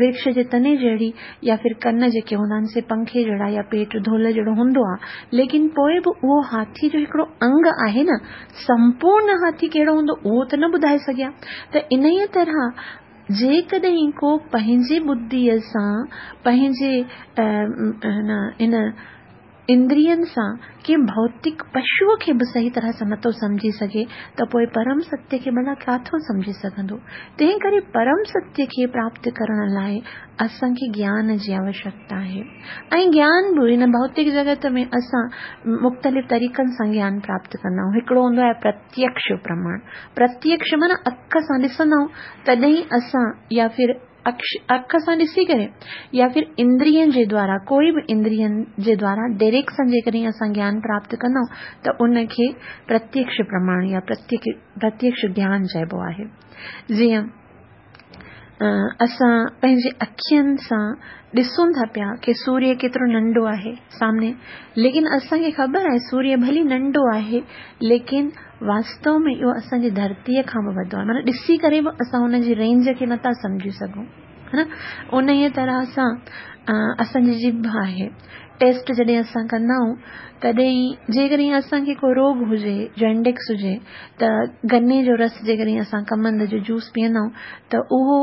ورڪش جي تني جهڙي يا ڦر ڪن جيڪي هوندا آهن سي پنکي جهڙا يا پيٽ ڍول جهڙو هوندو آهي، ليڪن پوء به اهو هاٿي جو هڪڙو انگ آهي نه، سمپورن هاٿي ڪهڙو هوندو اهو ته نه ٻڌائي سگهيا ته انهيء طرح جيڪڏهن ڪو پنهنجي ٻڌيء سان پنهنجي ان. اندرين سان ڪنهن ڀوتڪ پشوء کي به صحيح طرح سان نٿو سمجهي سگهي ته پوء پرم ستيه کي ڀلا ڪاٿو سمجهي سگهندو؟ تنهن ڪري پرم ستيه کي پراپت ڪرڻ لاء اسان کي گيان جي آوشڪتا آهي ۽ گيان به هن ڀوتڪ جڳت ۾ اسان مختلف طريقن سان گيان پراپت ڪندا آهيون. هڪڙو هوندو آهي پرتيڪش پرماڻ. پرتيڪش معنيٰ اک سان ڏسندا آهيون تڏهن اسان يا ڦر اک سان ڏسي ڪري يا ڦر اندرين جي دوارا ڪوئي به اندرين جي دوارا ڊائريڪٽ سان جيڪڏهن اسان گيان پراپت ڪندا آهيون ته ان کي پرتيڪش پرماڻ يا پرتيڪش گيان چئبو آهي. جيئن اسان پنهنجي اکين سان ڏسون ٿا پيا ڪي سوريه ڪيترو ننڍو آهي سامني ليڪن اسان کي خبر آهي سوريه ڀلي ننڍو آهي ليڪن واستو ۾ اهو اسان جي ڌرتيء کان به وڏو آهي معنيٰ ڏسي ڪري به اسان ان جي رينج کي نٿا سمجهي سگهون ها نه انهيء طرح سان اسان جي ڄڀ آهي ٽيسٽ جڏهن اسان ڪندا آهيون تڏهن جيڪڏهن اسان کي ڪو روڳ هجي جانڊس هجي ته گني جو رس جيڪڏهن اسان ڪمند جو جوس پيئندا آهيون ته اهو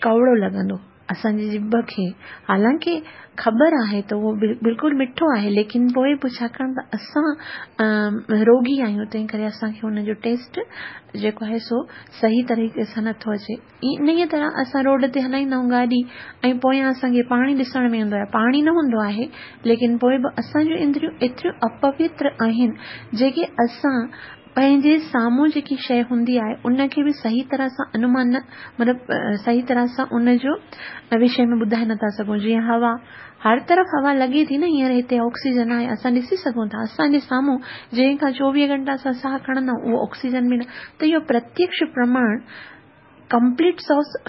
ڪؤڙو لڳندو اسان جي ڄڀ کي، حالانڪه خبر آهي ته اهو بلڪل مٺو آهي ليڪن پوء به ڇاڪاڻ ته اسان روڳي آهيون تنهن ڪري اسان کي ان جو ٽيسٽ جيڪو آهي سو صحيح طريقي سان نٿو اچي. انهيء طرح اسان روڊ تي هلائيندا آهيون گاڏي ۽ پويان اسان کي پاڻي ڏسڻ ۾ ايندو آهي پاڻي نه هوندو آهي ليڪن پوء به اسان جون اندريون ايتريون اپوتر آهن جيڪي اسان پنهنجي سامهون جيڪي شيء هوندي آهي ان کي به صحيح طرح سان انومان نه مطلب صحيح طرح سان ان جو وشي ۾ ٻڌائي نٿا سگهون جيئن هوا هر طرف هوا لڳي ٿي نه هينئر هتي آڪسيجن آهي اسان ڏسي سگهون ٿا اسان جي سامهون جنهن کان چوويهه گهنٽا اسان ساهه کڻندا آهيون اهو آڪسيجن به نه ته اهو پرتيڪش پرماڻ ڪمپليٽ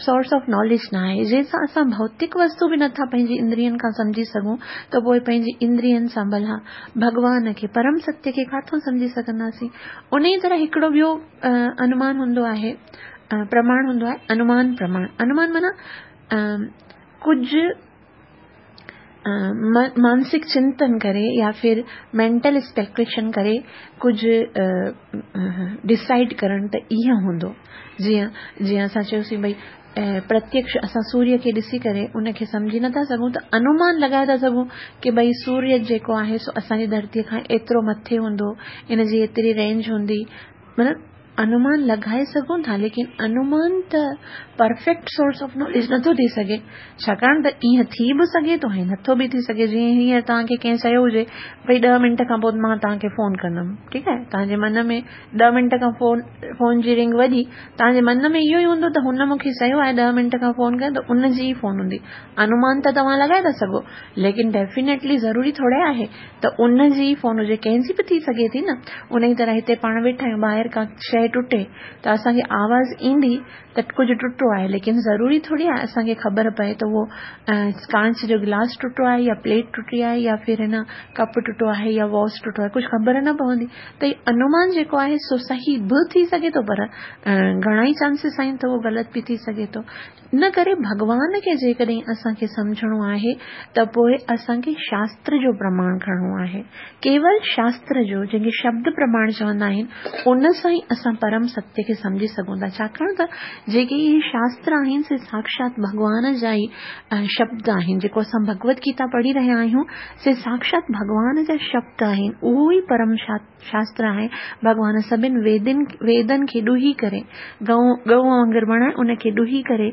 سورس آف ناليج نه آهي جنهن سان اسان ڀوتڪ وستو به نٿا پنهنجي اندرين کان سمجهي سگهون ته پوء پنهنجي اندرين سان ڀلا ڀڳوان کي پرم ستيه کي ڪاٿون سمجهي سگهنداسين انهي طرح هڪڙو ٻيو انومان هوندو آهي پرماڻ هوندو آهي انومان پرماڻ انومان معنيٰ ڪجهه مانسڪ چنتن ڪري يا ڦر مينٽل اسپيڪوليشن ڪري ڪجهه ڊسائيڊ ڪرڻ ته ائين هوندو جيئن جيئن اسان چيوسين ڀئي پرتيڪش اسان سوريه کي ڏسي ڪري ان کي سمجهي نٿا سگهون ته انومان لڳائي ٿا سگهون ڪي ڀئي سوريه جيڪو آهي سو اسان جي ڌرتي کان ايترو مٿي هوندو ان جي ايتري رينج هوندي مطلب انومان لڳائي سگهون ٿا ليڪن انومان ته پرفيڪٽ سورس آف ناليج نٿو ٿي سگهي ڇاڪاڻ ته ائين ٿي به سگهي ٿو ۽ نٿو به ٿي سگهي جيئن هينئر توهان کي ڪنهن چيو هجي ڀئي ڏهه منٽ کان پوء مان توهان کي فون ڪندم ٺيڪ آهي توهان جي من ۾ ڏهه منٽ کان فون فون جي رنگ وڄي توهان جي من ۾ اهو ئي هوندو ته هن مون کي چيو آهي ڏهه منٽ کان فون ڪر ته ان جي ئي فون هوندي انومان ته توهان لڳائي ٿا سگهو ليڪن ڊيفينيٽلي ضروري ٿوري آهي ته ان جي ئي فون هجي ڪنهن جي به ٿي سگهي ٿي نه انهي طرح هتي پاڻ ويٺا آهيون ٻاهر ڪا شيء ٽٽي ته اسان کي آواز ايندي ته ڪجهه ٽٽو آهي ليڪن ضروري ٿوري آهي اسان کي خبر پئي ته اهو ڪانچ جو گلاس ٽٽو آهي يا پليٽ ٽٽي آهي يا ڦر هن ڪپ ٽٽو آهي يا واس ٽٽو آهي ڪجهه خبر نه پوندي ته هي انومان جيڪو آهي سو صحيح به ٿي سگهي ٿو پر گهڻا ئي چانسز آهن ته اهو غلط به ٿي سگهي ٿو ان ڪري ڀڳوان کي جيڪڏهن اسان کي سمجهڻو آهي ته پوء اسان کي شاستر جو پرماڻ کڻڻو آهي. ڪيول شاستر جو، جنهن کي شبد پرماڻ چوندا آهن، ان سان ئي اسان پرم ستيه کي سمجهي سگهون ٿا. ڇاڪاڻ ته جيڪي اهي شاستر آهن سي ساکشات ڀڳوان جا ئي شبد آهن. جيڪو اسان ڀڳوت گيتا پڙهي رهيا آهيون سي ساکشات ڀڳوان جا شبد آهن. اهو ئي پرم شاستر آهي، ڀڳوان سڀن ويدن ويدن کي ڏوهي ڪري، ڳئون ڳئون وانگر بڻائي ان کي ڏوهي ڪري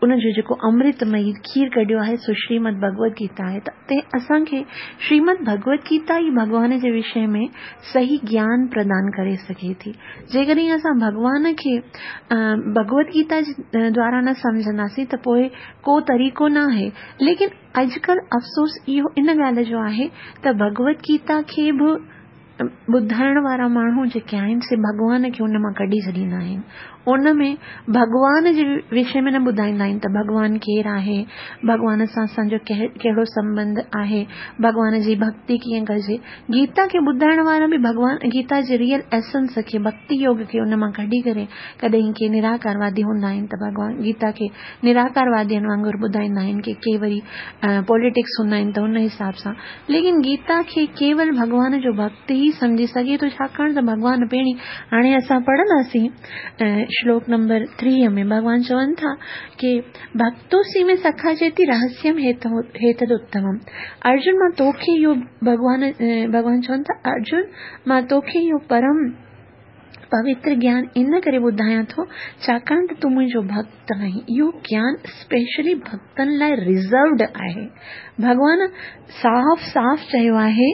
ان جو جيڪو امرت مئي کير ڪڍيو آهي سو شريمد ڀڳوت گيتا آهي ته تنهن اسان کي شريمد ڀڳوت گيتا ئي ڀڳوان جي وشي ۾ صحيح گيان پردان ڪري سگهي ٿي. جيڪڏهن اسان ڀڳوان کي ڀڳوت گيتا جي دوارا نه سمجهنداسين ته پوء ڪو طريقو نه آهي ليڪن اڄڪلهه افسوس اهو ان ڳالهه جو آهي ته ڀڳوت گيتا کي به ٻڌائڻ وارا ماڻهو جيڪي آهن سي ڀڳوان کي ان مان ڪڍي ڇڏيندا آهن. ان ۾ ڀڳوان جي وشي ۾ نه ٻڌائيندا آهن ته ڀڳوان ڪير آهي، ڀڳوان سان اسان جو ڪهڙو سنٻنڌ آهي، ڀڳوان جي ڀڳتي ڪيئن ڪجي. گيتا کي ٻڌائڻ وارا به ڀڳوان گيتا جي ريئل ايسنس کي ڀڳتي يوگ کي ان مان ڪڍي ڪري ڪڏهن ڪي نراڪاروادي هوندا آهن ته ڀڳوان گيتا کي نراڪاروادين وانگر ٻڌائيندا آهن ڪي ڪي وري پوليٽڪس هوندا آهن ته ان حساب سان ليڪن گيتا کي ڪيول ڀڳوان جو ڀڳت ئي سمجهي سگهي ٿو ڇاڪاڻ ته ڀڳوان پهرين هاڻي اسان پڙهنداسين شلوڪ نمبر 3 ۾ ڀڳوان چون ٿا ڪي ڀڪتوسي ۾ سکا چيتي رهسيم هيتد اتمم. ارجن مان توکي اهو ڀڳوان ڀڳوان چون ٿا ارجن مان توکي اهو پرم پوتر گيان ان ڪري ٻڌايان ٿو ڇاڪاڻ ته تون منهنجو ڀڳت آهين. اهو گيان اسپيشلي ڀڳتن لاء ريزروڊ آهي. ڀڳوان صاف صاف چيو آهي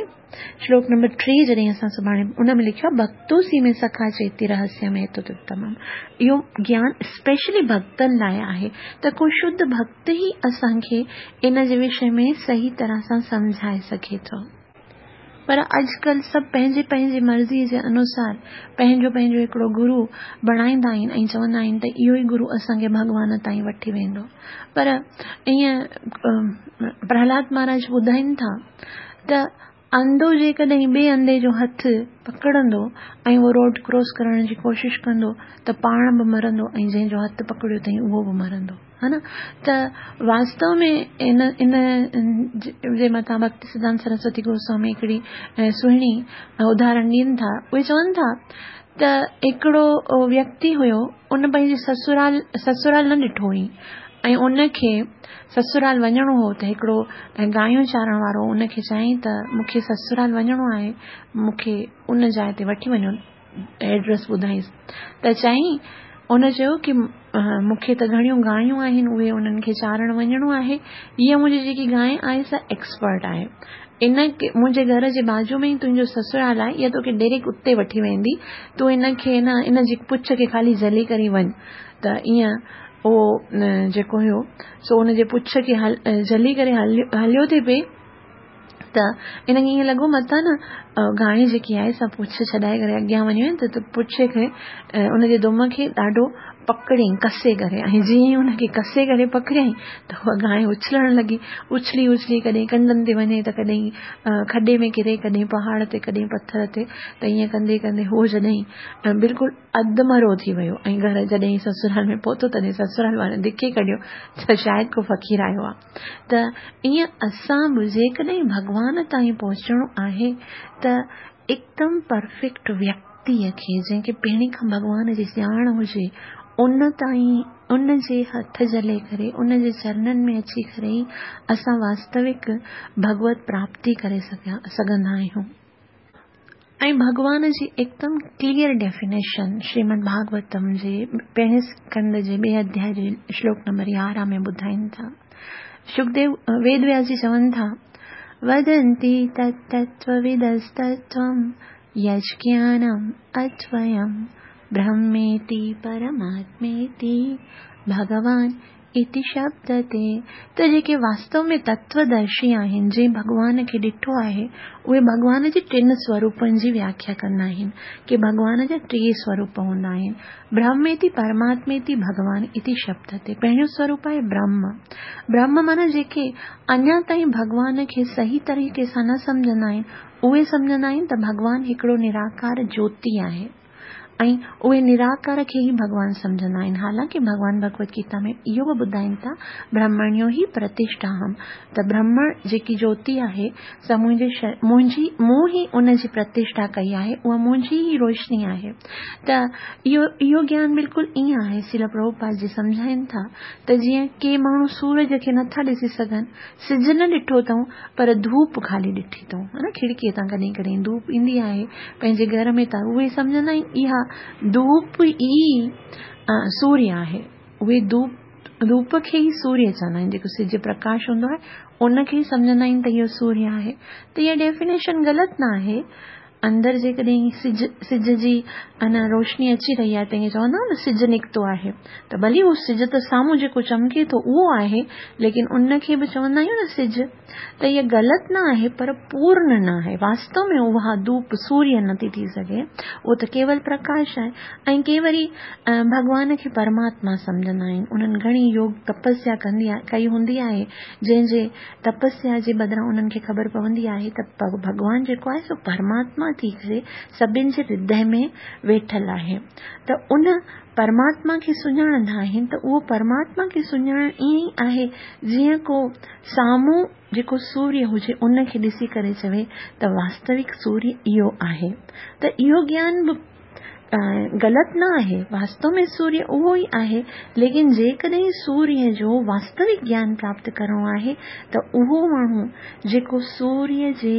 شلوڪ نمبر 3 جڏهن اسان سڀاڻي ان ۾ لکيو آهي ڀڳتوسي ۾ سکا چيتي رهسيم هيتد اتمم. اهو گيان اسپيشلي ڀڳتن لاء آهي ته ڪو شڌ ڀڳت ئي اسان کي ان جي وشي ۾ صحيح طرح سان سمجهائي سگهي ٿو. پر اڄڪلهه سڀ پنهنجي پنهنجي مرضي جي انوسار پنهنجو پنهنجو هڪڙو گرو بڻائيندا آهن ۽ چوندا آهن ته اهو ئي گرو اسان کي ڀڳوان تائين وٺي ويندو. پر ائين پرهلاد مهاراج ٻڌائين ٿا ته انڌو جيڪڏهن ٻئي انڌي جو هٿ پڪڙندو ۽ اهو روڊ ڪراس ڪرڻ جي ڪوشش ڪندو ته پاڻ به مرندو ۽ جنهن جو هٿ پڪڙيو اٿئي اهو به مرندو ها نه ته واستو ۾ ان ان جي مٿان ڀڪتي سڌانت سرسوتي گوسوامي هڪڙي سهڻي اداهرڻ ڏين ٿا اهي چون ٿا ته هڪڙو ويڪتي هيو ان پنهنجي سسرال سسرال نه ڏٺو هئي ۽ ان کي سسرال وڃڻو هو ته هڪڙو گايون چارڻ وارو ان کي چيائين ته مون کي سسرال وڃڻو آهي مون کي ان جاء تي وٺي وڃو ايڊريس ٻڌائينس ته چيائين ان چيو ڪي مون کي ته گهڻيون گايون آهن اهي انهن کي چارڻ وڃڻو آهي هيء منهنجي جيڪي گانء آهي سا ايڪسپرٽ آهي ان منهنجي گهر جي بازو ۾ ئي تنهنجو سسرال آهي اها توکي ڊائريڪٽ اتي وٺي ويندي تون ان کي نه ان جي پڇ کي خالي جهلي ڪري وڃ ته ائين اهو جيڪو هيو سو ان جي پڇ کي جهلي ڪري هليو ٿي پئي ته ان کي ائين لڳو متان نه گانء جيڪي آهي سا پڇ ڇڏائي ڪري اڳيان وڃي وڃي ته پڇ کي ان جي دم کي ڏاڍو پڪڙيائين ڪسي ڪري ۽ جيئن ئي ان کي ڪسي ڪري پڪڙيائين ته اها گانء اڇلڻ لڳي اڇلي اڇلي ڪڏهن ڪنڊن تي وڃي ته ڪڏهن کڏي ۾ ڪري ڪڏهن پهاڙ تي ڪڏهن پٿر تي ته ائين ڪندي ڪندي هو جڏهن بلڪل اڌ مرو ٿي ويو ۽ گهر جڏهن سسرال ۾ پهتو تڏهن سسرال وارن ڌڪي ڪڍيو ته شايد ڪو فقير آيو آ ته ائين اسان به جيڪڏهن ڀڳوان تائين پهچڻو آهي ته هڪدم پرفيڪٽ ويڪتيء کي جنهن کي پهرين کان ڀڳوان جي ڄاڻ هجي ان تائين ان جي هٿ جهلي ڪري ان جي چرنن ۾ اچي ڪري ئي اسان واستوڪ ڀڳوت پراپتي ڪري سگهندا آهيون. ۽ ڀڳوان جي هڪدم ڪليئر ڊيفينيشن شريمد ڀاڳوتم جي پهرين اسڪنڌ جي ٻئي اڌياء جي شلوڪ نمبر 11 ۾ ٻڌائين ٿا. شڪديو ويد وياس جي چون ٿا، ودنتي تتتوودستتوم يجگيانم اتويم برهميتي پرماتميتي ڀڳوان اتي شبد تي ته جيڪي واستو ۾ تتودرشي آهن، جنهن ڀڳوان کي ڏٺو آهي، اهي ڀڳوان جي ٽن سوروپن جي وياکيا ڪندا آهن، ڪي ڀڳوان جا ٽي سوروپ هوندا آهن، برهم اتي پرماتميتي ڀڳوان اتي شبد تي. پهريون سوروپ آهي برهم. برهم معنيٰ جيڪي اڃا تائين ڀڳوان کي صحيح طريقي سان نه سمجهندا آهن، اهي سمجهندا آهن ته ڀڳوان هڪڙو نراڪار جوتي آهي. ۽ اهي نراڪار کي ئي ڀڳوان سمجهندا آهن. حالانڪه ڀڳوان ڀڳوت گيتا ۾ اهو به ٻڌائين ٿا، برهمڻيو هي پرتشٺاهم، ته برهمڻ جيڪي جوتي آهي سا منهنجي منهنجي مون ئي ان جي پرتشٺا ڪئي آهي، اها منهنجي ئي روشني آهي. ته اهو اهو گيان بلڪل ائين آهي، شريل پرڀوپاد جي سمجهائين ٿا ته جيئن ڪي ماڻهو سورج کي نٿا ڏسي سگهن، سج نه ڏٺو اٿئون پر ڌوپ خالي ڏٺي اٿئون ها نه کڙڪيء تان ڪڏهن ڪڏهن ڌوپ ايندي آهي پنهنجي گهر ۾ ته اهي سمجهندا آهن اها ڌوپ ئي سوريه آهي اهي ڌوپ ڌوپ کي ئي سوريه چوندا آهن جيڪو سج پرڪاش هوندو آهي ان کي ئي سمجهندا آهن ته اهو سوريه آهي ته اها ڊيفينيشن غلط نه آهي اندر جيڪڏهن سج سج جي ان روشني اچي رهي آهي ته ائين چوندا نه سج نڪتو آهي ته ڀلي هو سج ته سامهون جيڪو چمڪي ٿو اهو آهي ليڪن ان کي به چوندا آهيون نه سج ته اها غلط نه آهي پر پورن نه آهي واستو ۾ اها ڌوپ سوريه نٿي ٿي سگهي اهو ته ڪيول پرڪاش آهي ۽ ڪي وري ڀڳوان کي پرماتما سمجهندا آهن انهن گهڻي يوگ تپسيا ڪندي ڪئي هوندي آهي جنهن جي تپسيا جي بدران انهن کي خبر پوندي آهي ته ڀڳوان جيڪو آهي سو پرماتما ٿي ڪري سڀن جي هردي ۾ ويٺل آهي ته ان پرماتما کي سڃاڻندا آهن ته اهو پرماتما کي سڃاڻڻ ائين ئي آهي جيئن ڪو سامهون جيڪو سوريه هجي ان کي ڏسي ڪري چوي ته واستوڪ سوريه اهو آهي ته اهو گيان به غلط نه آهي، واستو ۾ سوريه اهو ئي آهي، ليڪن جيڪڏهن سوريه جو واستوڪ گيان پراپت ڪرڻو آهي ته اهو ماڻهو جيڪو سوريه جي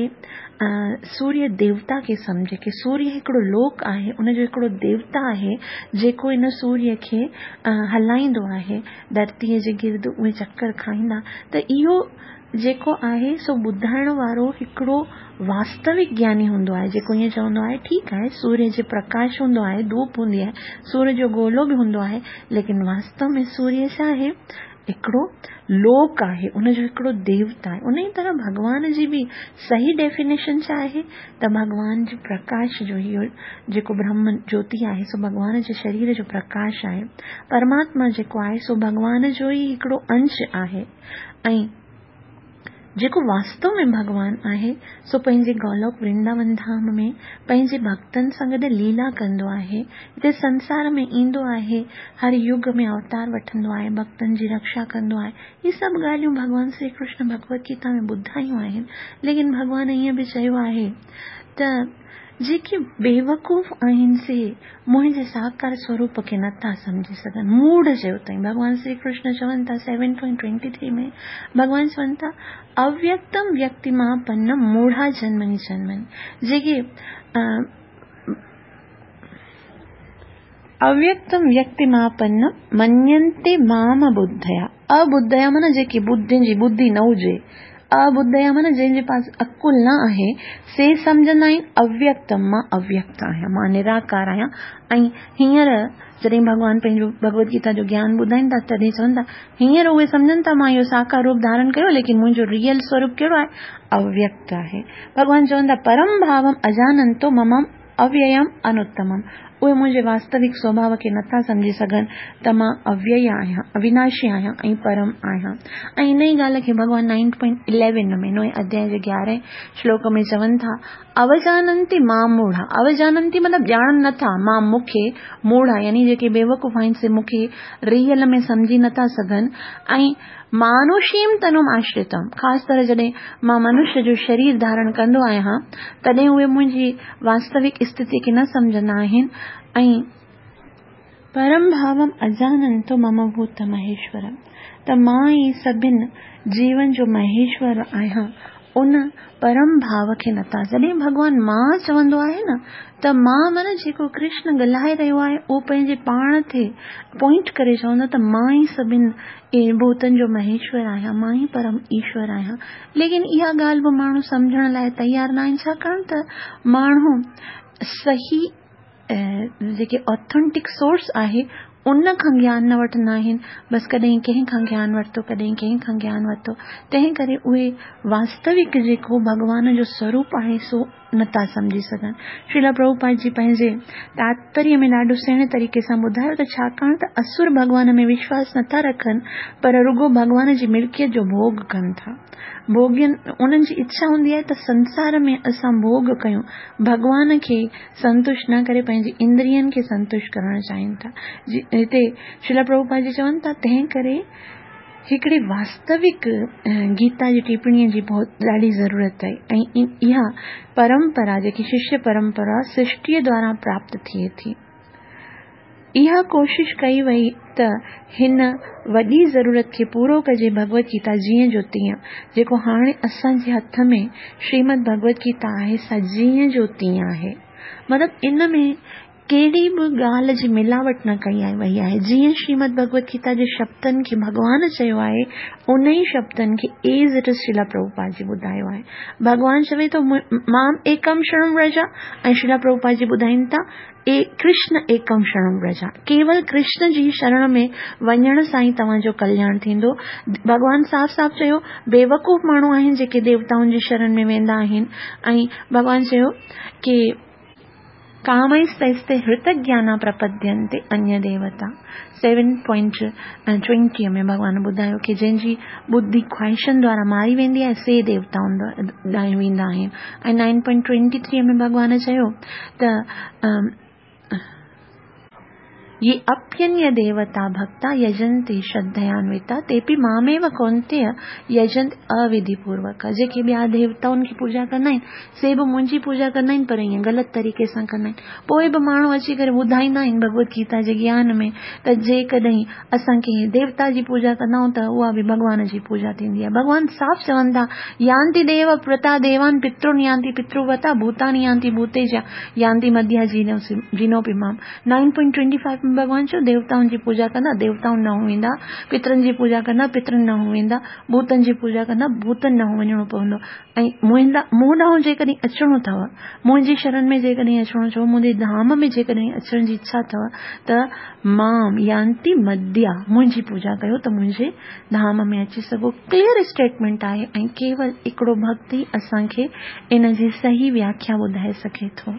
سوريه ديوتا کي سمجهي ڪي سوريه هڪڙو لوڪ آهي، ان جو هڪڙو ديوتا آهي جيڪو ان سوريه کي هلائيندو آهي، ڌرتيء جي گرد اهي چڪر کائيندا ته اهو جيڪو آهي سو ٻڌائڻ وارو هڪڙو واستوڪ گياني هوندو آهي جيڪو ائين چوندو آهي ٺيڪ آهي سوريه جي پرڪاش هوندو آهي ڌوپ هوندي آهي سوريه جو گولو به هوندو آهي ليڪن واستو ۾ سوريه ڇا آهي هڪڙو لوڪ آهي ان جو هڪڙو ديوتا آهي انهي طرح ڀڳوان جي به صحيح ڊيفينيشن ڇا آهي ته ڀڳوان جي پرڪاش جو اهو جيڪو برهم جوتي آهي سو ڀڳوان جي شرير جو پرڪاش آهي پرماتما جيڪو آهي سو ڀڳوان جو ئي هڪڙو انش آهي ۽ جيڪو واستو ۾ ڀڳوان آهي، سو پنهنجي گولوڪ ورنداون ڌام ۾ پنهنجي ڀڳتن سان گڏ ليلا ڪندو آهي. هتي سنسار ۾ ايندو آهي، هر يگ ۾ اوتار وٺندو آهي، ڀڳتن جي رڪشا ڪندو آهي. هي سڀ ڳالهيون ڀڳوان شري ڪرشن ڀڳوت گيتا ۾ ٻڌايون آهن. ليڪن ڀڳوان ائين به چيو آهي ته جيڪي بيوقوف آهن سي منهنجي ساڪار سوروپ کي نه ٿا سمجهي سگهن. موڙهه چيو اٿائين. ڀڳوان شري ڪرشن چون ٿا سيون پوائنٽ ٽوئنٽي ٿري ۾ ڀڳوان چون ٿا اويڪتم ويڪتيماپنم موڙها جنمني جنمني جيڪي اويڪتم ويڪتيماپنم مڃنتي مام ابڌيا ابڌيا معنيٰ جيڪي ٻڌين جي ٻڌي نه هجي ابڌيا معنيٰ جنهن جي پاس عقل نه آهي سي سمجهندا آهن اويڪتم مان اويڪت آهيان مان نراڪار آهيان ۽ هينئر جڏهن ڀڳوان پنهنجو ڀڳوت گيتا جو گيان ٻڌائين ٿا تڏهن چون ٿا هينئر اهي سمجهن ٿا مان اهو ساڪار روپ ڌارڻ ڪيو ليڪن منهنجو ريئل سوروپ ڪهڙو آهي اويڪت آهي ڀڳوان چون ٿا پرم ڀاوم اجاننتو ممم اوييم انوتمم، اهي منهنجي واستوڪ سوڀاء کي نٿا سمجهي سگهن ته مان اويئي آهيان، اويناشي آهيان ۽ پرم آهيان. ۽ ان ئي ڳالهه کي ڀڳوان نائن پوائنٽ اليون ۾ نوئين اڌيائي جي گيارهين شلوڪ ۾ چون ٿا، اوجاننتي مام موڙها، اوجاننتي مطلب ڄاڻن نٿا، مام مون کي، موڙها يعني جيڪي بيوقوف آهن سي مون کي ريئل ۾ سمجهي نٿا سگهن ۽ مانوشيم تنم آشريتم، خاص طرح جڏهن مان منش جو شرير ڌارڻ ڪندو آهيان، تڏهن اهي منهنجي واستوڪ استٿيء کي نه سمجهندا آهن ۽. پرم ڀاوم اجاننتو مم ڀوت مهيشورم، ته مان ئي سڀن جيون جو مهيشور آهيان، ان پرم ڀاو کي نٿا. جڏهن ڀڳوان مان چوندو آهي نه ته مان معنيٰ جيڪو ڪرشن ڳالهائي رهيو آهي اهو پنهنجي پاڻ تي پوائنٽ ڪري چوندو ته مان ئي سڀن ڀوتن جو مهيشور آهيان، مان ئي پرم ايشور آهيان. ليڪن اها ڳالهه به ماڻهو سمجهڻ لاء تيار ناهن ڇاڪاڻ ته ماڻهو صحيح جيڪي آٿينٽڪ سورس آهي ان کان گيان نه وٺندا آهن بس ڪڏهن ڪنهن کان گيان ورتو ڪڏهن ڪنهن کان گيان ورتو تنهن ڪري اهي واستوڪ جيڪو ڀڳوان جو سوروپ آهي سو نٿا سمجهي سگهن شريلا پرڀوپاد جي پنهنجي تاتپريه ۾ ڏاڍو سهڻي طريقي سان ٻڌايو ته ڇاڪاڻ ته اسر ڀڳوان ۾ وشواس نٿا رکن پر رڳو ڀڳوان جي ملڪيت جو ڀوڳ ڪن ٿا ڀوڳين انهن جي اڇا هوندي آهي ته سنسار ۾ اسان ڀوڳ ڪيون ڀڳوان کي سنتشٽ نه ڪري پنهنجي اندرين کي سنتشٽ ڪرڻ چاهين ٿا. هتي شريلا پرڀوپاد جي چون ٿا تنهن ڪري هڪڙي واستوڪ گيتا جي ٽيپڻيء جي بهت ڏاڍي ضرورت آهي ۽ اها پرمپرا جيڪي ششيه پرمپرا سرشٽيء دوارا پراپت ٿئي ٿي. اها ڪوشش ڪئي وئي ته هن وڏي ضرورت کي پورو ڪجي ڀڳوت گيتا جيئن جو تيئن جيڪو هاڻي اسان جي هٿ ۾ شريمد ڀڳوت گيتا آهي سا جيئن جو تيئن آهي مطلب ان ۾ ڪهڙي به ڳالهه جي ملاوٽ نه ڪئي وئي آهي جيئن شريمد ڀڳوت گيتا جي شبدن کي ڀڳوان چيو آهي ان ئي شبدن کي as it is Srila Prabhupada ji ٻڌايو آهي ڀڳوان چوي ٿو مام ايڪم شرڻم ورجا ۽ شريلا پرڀوپاد جي ٻڌائين ٿا اي ڪرشن ايڪم شرڻم ورجا، ڪيول ڪرشن جي شرڻ ۾ وڃڻ سان ئي توهان جو ڪلياڻ ٿيندو. ڀڳوان صاف صاف چيو، بيوقوف ماڻهو آهن جيڪي ديوتائن جي شرڻ ۾ ويندا آهن ۽ ڀڳوان چيو ڪي. ڪامئستيستي هرتگيانا پرپدينتي انيه ديوتا. سيون پوائنٽ ٽوئنٽيء ۾ ڀڳوان ٻڌايو ڪي جنهن جي ٻڌي خواهشن دوارا ماري ويندي آهي سي ديوتائن ڏانهن ويندا آهن ۽ نائن پوائنٽ ٽوئنٽي ٿريء ۾ ڀڳوان چيو ته. ये अप्यन्य देवता भक्ता यजन्ति श्रद्धयान्विता तेपि मामेव कौन्तेय यजन्ति अविधिपूर्वक। जेके ॿिया देवताउनि खे पूजा कंदा आहिनि से बि मुंहिंजी पूजा कंदा आहिनि, पर ईअं ग़लति तरीक़े सां कंदा आहिनि। पोइ बि माण्हू अची करे ॿुधाईंदा आहिनि भगवत गीता जे ज्ञान में त जेकॾहिं असां कंहिं देवता जी पूजा कंदा आहियूं त उहा बि भॻवान जी पूजा थींदी आहे। भॻवान साफ़ चवनि था, यान्ति देव प्रता देवान पितृन यान्ति पितृवता भूतानि यान्ति भूतेजा यान्ति मध्या जीनोपि माम। 9.25 में भॻवान चयो देवताउनि जी पूजा कंदा देवताउनि ॾांहुं वेंदा, पितरनि जी पूजा कंदा पितरनि ॾांहुं वेंदा, भूतनि जी पूजा कंदा भूतनि ॾांहुं वञिणो पवंदो। ऐं मूं ॾांहुं जेकॾहिं अचिणो अथव, मुंहिंजी शरण में जेकॾहिं अचिणो अथव, मुंहिंजे धाम में जेकॾहिं अचण जी इच्छा अथव त माम यान्ति मध्या मुंहिंजी पूजा कयो त मुंहिंजे धाम में अची सघो। क्लियर स्टेटमेंट आहे ऐं केवल हिकिड़ो भक्त ई असांखे इन जी सही व्याख्या ॿुधाए सघे थो।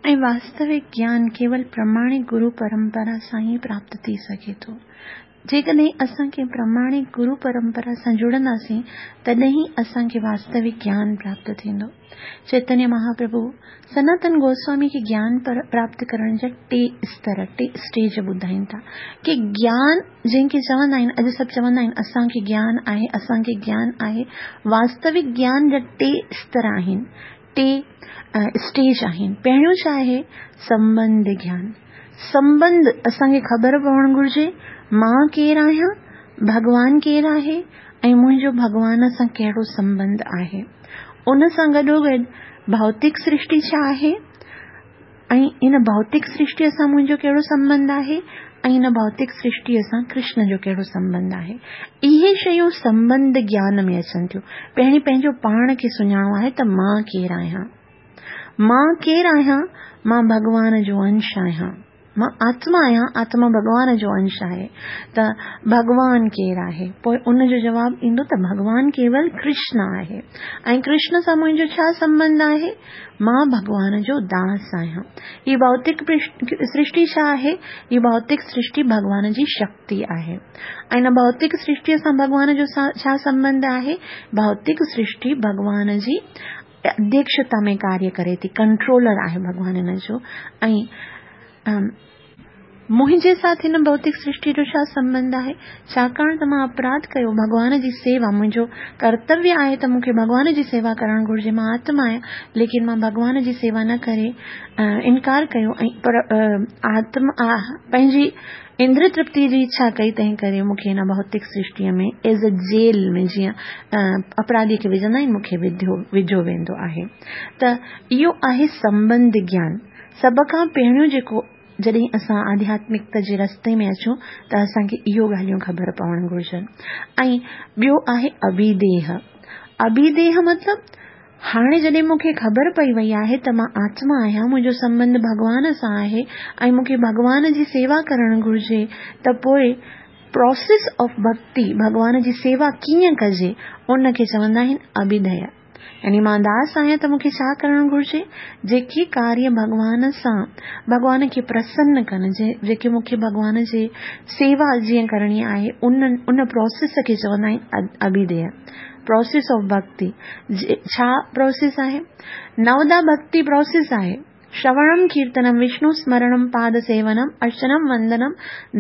ऐं वास्तविक ज्ञान केवल प्रमाणिक गुरु परंपरा सां ई प्राप्त थी सघे थो। जेकॾहिं असां कंहिं प्रमाणिक गुरु परंपरा सां जुड़ंदासीं तॾहिं ई असांखे वास्तविक ज्ञान प्राप्त थींदो। चैतन्य महाप्रभु सनातन गोस्वामी खे ज्ञान प्राप्त करण जा टे स्तर, टे स्टेज ॿुधाइनि था की ज्ञान जंहिंखे चवंदा आहिनि, अॼु सभु चवंदा आहिनि असांखे ज्ञान आहे, असांखे ज्ञान आहे। वास्तविक ज्ञान जा टे स्तर आहिनि, टे स्टेज आहिनि। पहिरियों छा आहे? संबंध ज्ञान। संबंध असांखे ख़बर पवणु घुरिजे मां केरु आहियां, भॻवान केरु आहे ऐं मुंहिंजो भॻवान सां कहिड़ो संबंध आहे। उन सां गॾोगॾु भौतिक सृष्टि छा आहे ऐं इन भौतिक सृष्टीअ सां मुंहिंजो कहिड़ो संबंध आहे ऐं इन भौतिक सृष्टीअ सां कृष्ण जो कहिड़ो संबंध आहे। इहे शयूं संबंध ज्ञान में अचनि थियूं। पहिरीं पंहिंजो पाण खे सुञाणो आहे त मां केरु आहियां, मां केरु आहियां, मां भॻवान जो अंश आहियां, मां आत्मा आहियां, आत्मा भॻवान जो अंश आहे। त भॻवान केरु आहे? पोइ उनजो जवाबु ईंदो त भॻवान केवल कृष्ण आहे ऐं कृष्ण सां मुंहिंजो छा संबंध आहे? मां भॻवान जो दास आहियां। हीअ भौतिक सृष्टि छा आहे? हीअ भौतिक सृष्टि भॻवान जी शक्ति आहे ऐं इन भौतिक सृष्टीअ सां भॻवान जो छा संबंध आहे? भौतिक सृष्टि भॻवान जी अध्यक्षता में कार्य करे थी, कंट्रोलर आहे भॻवान हिन जो। ऐं मुंहिंजे साथ हिन भौतिक सृष्टि जो छा संबंध आहे? छाकाणि त मां अपराध कयो, भॻवान जी सेवा मुंहिंजो कर्तव्य आहे त मूंखे भॻवान जी सेवा करणु घुरिजे, मां आत्मा आहियां, लेकिन मां भॻवान जी सेवा न करे इनकार कयो ऐं पर आत्मा पंहिंजी इंद्र तृप्ति जी इच्छा कई, तंहिं करे मूंखे हिन भौतिक सृष्टीअ में एज़ अ जेल में जीअं अपराधी खे विझंदा आहिनि मूंखे विझो वेंदो आहे। त इहो आहे संबंध ज्ञान। सभ खां पहिरियों जेको जॾहिं असां आध्यात्मिकता जे रस्ते में अचूं त असांखे इहो ॻाल्हियूं ख़बर पवणु घुरिजनि। ऐं ॿियो आहे अभिदेह। अभिदेह मतिलबु हाणे जॾहिं मूंखे ख़बर पई वई आहे त मां आत्मा आहियां, मुंहिंजो संबंध भॻवान सां आहे ऐं मूंखे भॻवान जी सेवा करणु घुरिजे, त पोइ प्रोसेस ऑफ भक्ति, भॻवान जी सेवा कीअं कजे, उनखे चवंदा आहिनि अभिधेय। यानी मां दास आहियां त मूंखे छा करणु घुरिजे? जेके कार्य भॻवान सां, भॻवान खे प्रसन्न कनि, जेके मूंखे भॻवान जे सेवा जीअं करणी आहे, उन प्रोसेस खे चवंदा आहिनि अभिधेय, प्रोसेस ऑफ भक्ति। छा प्रोसेस आहे? नवदा भक्ति प्रोसेस आहे। श्रवणम कीर्तनम विष्णु स्मरणम पाद सेवनम अर्चनम वंदनम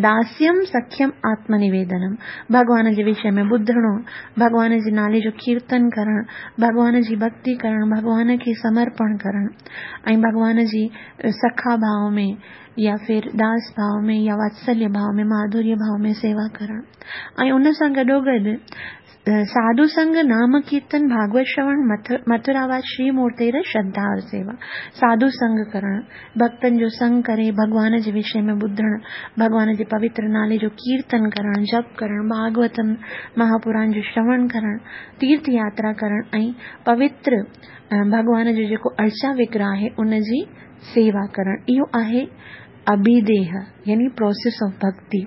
दास्यम सख्यम आत्मनिवेदनम। भॻवान जे विषय में ॿुधणो, भॻवान जे नाले जो कीर्तन करणु, भॻवान जी भक्ति करणु, भॻवान खे समर्पण करणु ऐं भॻवान जी सखा भाव में या फिर दास भाव में या वात्सल्य भाव में, माधुर्य भाव में सेवा करणु। ऐं उन सां गॾोगॾु साधु संग, नाम कीर्तन, भागवत श्रवण, मथुरावास श्री मूर्तिर श्रद्धा और सेवा। साधु संग करणु, भक्तनि जो संग करे भॻवान जे विषय में ॿुधणु, भॻवान जे पवित्र नाले जो कीर्तन करणु, जप करणु, भागवतम महापुराण जो श्रवण करणु, तीर्थ यात्रा करणु ऐं पवित्र भॻवान जो जेको अर्चा विग्रह आहे उनजी सेवा करणु। इहो आहे अभिदेह यानी प्रोसेस ऑफ भक्ति।